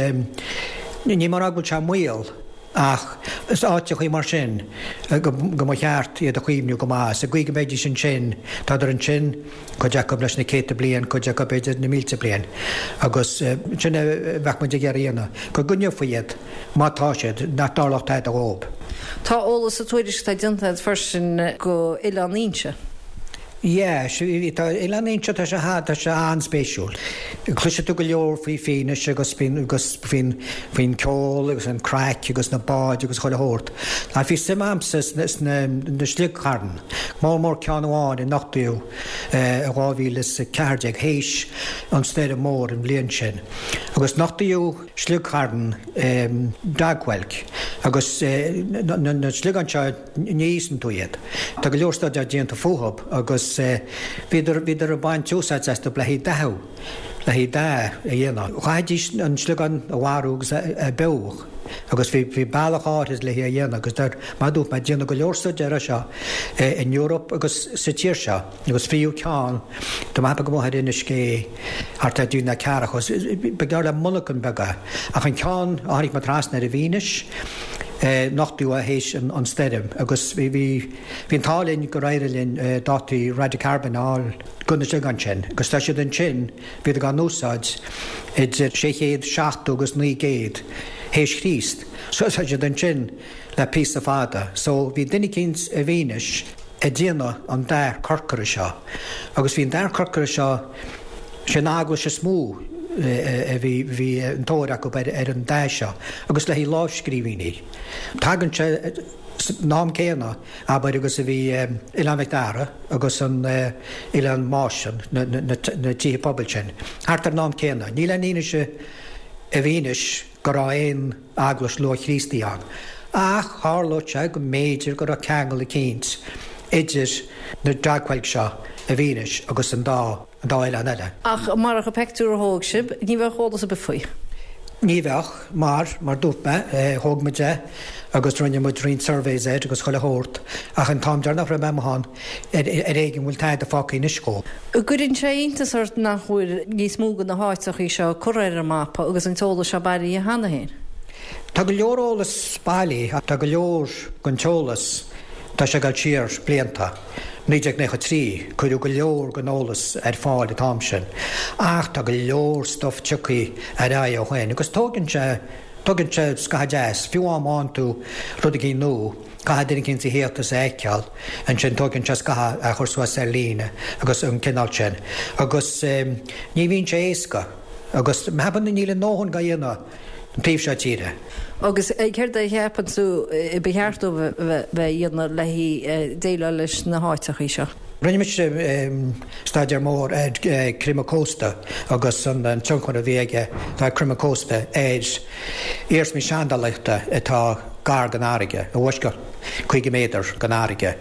N: ní mar go bhfuil sé i mbaol ach is áiteachaí mar sin go mba cheart iad a chaomhnú go maith. Sa gcaoi go mbeidís ansin, tádar ansin cuid acu leis na céadta bliain, cuid acu b'fhéidir na mílte bliain agus sin a bheadh muid ag iarraidh a dhéanamh, go gcoinneofaí iad má tá siad, nach dtarlódh tada dhóibh.
O: Tá eolas sa tuairisc atá déanta agat freisin go Oileán Fhínse.
N: Yeah, tá Oileán Fhínse, tá sé tá sé an-spéisiúil. Cloisfidh tú go leor faoi Fínis agus faoin agus faoin faoin ceol agus an craic agus na báid agus chuile shórt. Ach bhí suim a'msa sna sna na sliogchairn, mór mór ceann amháin a nochtaíodh i dhá mhíle is a ceathair déag, théis an stoirm mór an bhliain sin. Agus nochtaíodh sliogcharn dogwhelk agus na sliogáin seo ní íosann tú iad. Tá go leor staidéar déanta fúthu agus bhíodar bhíodar ag baint úsáid astu le haghaidh dathú, le haghaidh dath a dhéanamh. Chaithfidís an sliogán a mharú agus a beoch agus bhí bhí bealach áirid le hé a dhéanamh agus dar mar a dúirt mé déanadh go leor staidéar air seo in Eoraip agus sa tír seo agus fiú ceann tá mé ag ceapadh amuigh ar Inis Gé thart ar Dún na Ceathrach ba ghearr le monarchan beag é ach an ceann a tháinig mé trasna air i bhFínis nochtaíodh é théis an stoirm agus bhí bhí bhí an t-ádh linn gur éirigh linn dátaí radiocarbon a fháil go na sliogáin sin agus tá siad ansin bhíodar á n-úsáid idir sé chéad seachtó agus naoi gcéad théis Chríost so tá siad ansin le píosa fada so bhí duine eicínt i bhFínis ag déanamh an dath corcra seo agus bhí an dath corcra seo sé an eaglais is mó a bhí bhí an tóir acu ar ar an dath seo agus le haghaidh lámhscríbhinní. Tagann sé san am céanna abair agus a bhí Oileán Mhic Dara agus an Oileán Máisean na na na tithe pobail sin thart ar an am céanna. Níl aon fhianaise i bhFínis go raibh aon eaglais luath-Chríostaí ann. Ach tharlódh sé go mb'fhéidir go raibh ceangal eicínt idir na dogwhelks seo i bhFínis agus an dá an dá oileán eile.
O: Ach marach an peictiúr a thóg sibh, ní bheadh eolas ar bith faoi.
N: Ní bheadh, mar, mar dúirt mé, thóg muid é agus rinne muid roinnt surveys air agus chuile shórt, ach an t-am deireanach a raibh mé amuigh ann, ar éigean bhfuil tada fágtha anois dhó.
O: An gcuireann sé iontas ort nach bhfuil níos mó de na háiteachaí seo curtha ar an mapa agus an t-eolas seo bailithe cheana féin?
N: Tá go leor eolas bailithe, tá go leor den t-eolas, tá sé ag dul siar blianta naoi déag nócha trí, cuireadh go leor den eolas ar fáil an t-am sin, ach tá go leor stuif tioctha ar aghaidh ó shin agus tógann sé, tógann sé scaitheamh deas, fiú má fhaigheann tú rud éigin nua, caithfidh duine éicint a theacht is a fheiceáil, ansin tógann sé scaitheamh a chur suas ar líne agus an cineál sin. Agus ní bhíonn sé éasca agus ceapaim níl a ndóthain á dhéanamh an taobh seo tíre.
O: Agus céard a cheapann tú ba cheart dóibh a bheith a dhéanamh le déileáil leis na háiteachaí seo?
N: Rinne mise staidéar mór ar creimeadh cósta agus an tionchar a bhí aige tá creimeadh cósta ar iarsmaí seandálaíochta atá gar don fharraige, i bhfoisceacht caoga méadar den fharraige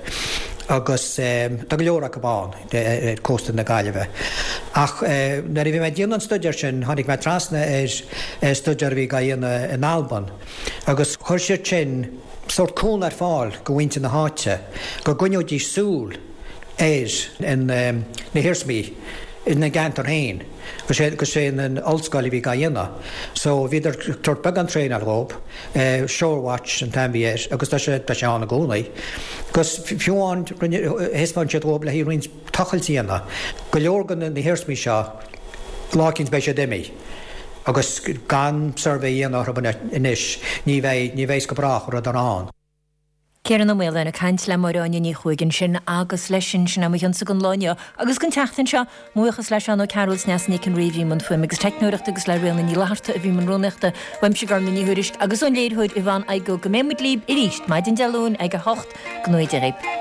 N: agus tá go leor acu ann ar cósta na Gaillimhe. Ach nuair a bhí mé ag déanamh an staidéir sin tháinig mé trasna ar staidéar a bhí á dhéanamh in Albain agus chuir siad sin sórt cúnamh ar fáil do mhuintir na háite go gcoinneoidís súil ar na hiarsmaí ina gceantar féin agus sé an ollscoil a bhí á dhéanamh. So bhíodar ag tabhairt beagán traenáil dhób, Shorewatch an t-ainm a bhí air agus tá sé tá sé ann i gcónaí. Agus fiú amháin rinne thaispeáin siad dhób le haghaidh roinnt tochailt a dhéanamh. Go leor de na hiarsmaí seo lá eicínt beidh siad imithe agus gan suirbhé a dhéanamh orthu anois ní bheidh ní bheidh go brách an rud ann.
A: Ciarán Ó Maoláin ag caint le Máire Áine Ní Chuaig ansin agus leis sin, sin é mo chionsa don lá inniu agus don tseachtain seo. Mo bhuíochas le Seán Ó Cearúil Sneasa Nic an Rí a bhí i mbun fuaime agus teicneoireachta agus le Ríona Ní Fhlatharta a bhí i mbun rúnaíochta. Uaimse Gormlaith Ní Thuairisg agus ón léiritheoir Yvonne Igoe go mbeidh muid libh arís maidin Dé Luain ag a hocht. Go ngnóthaí Dia dhaoibh.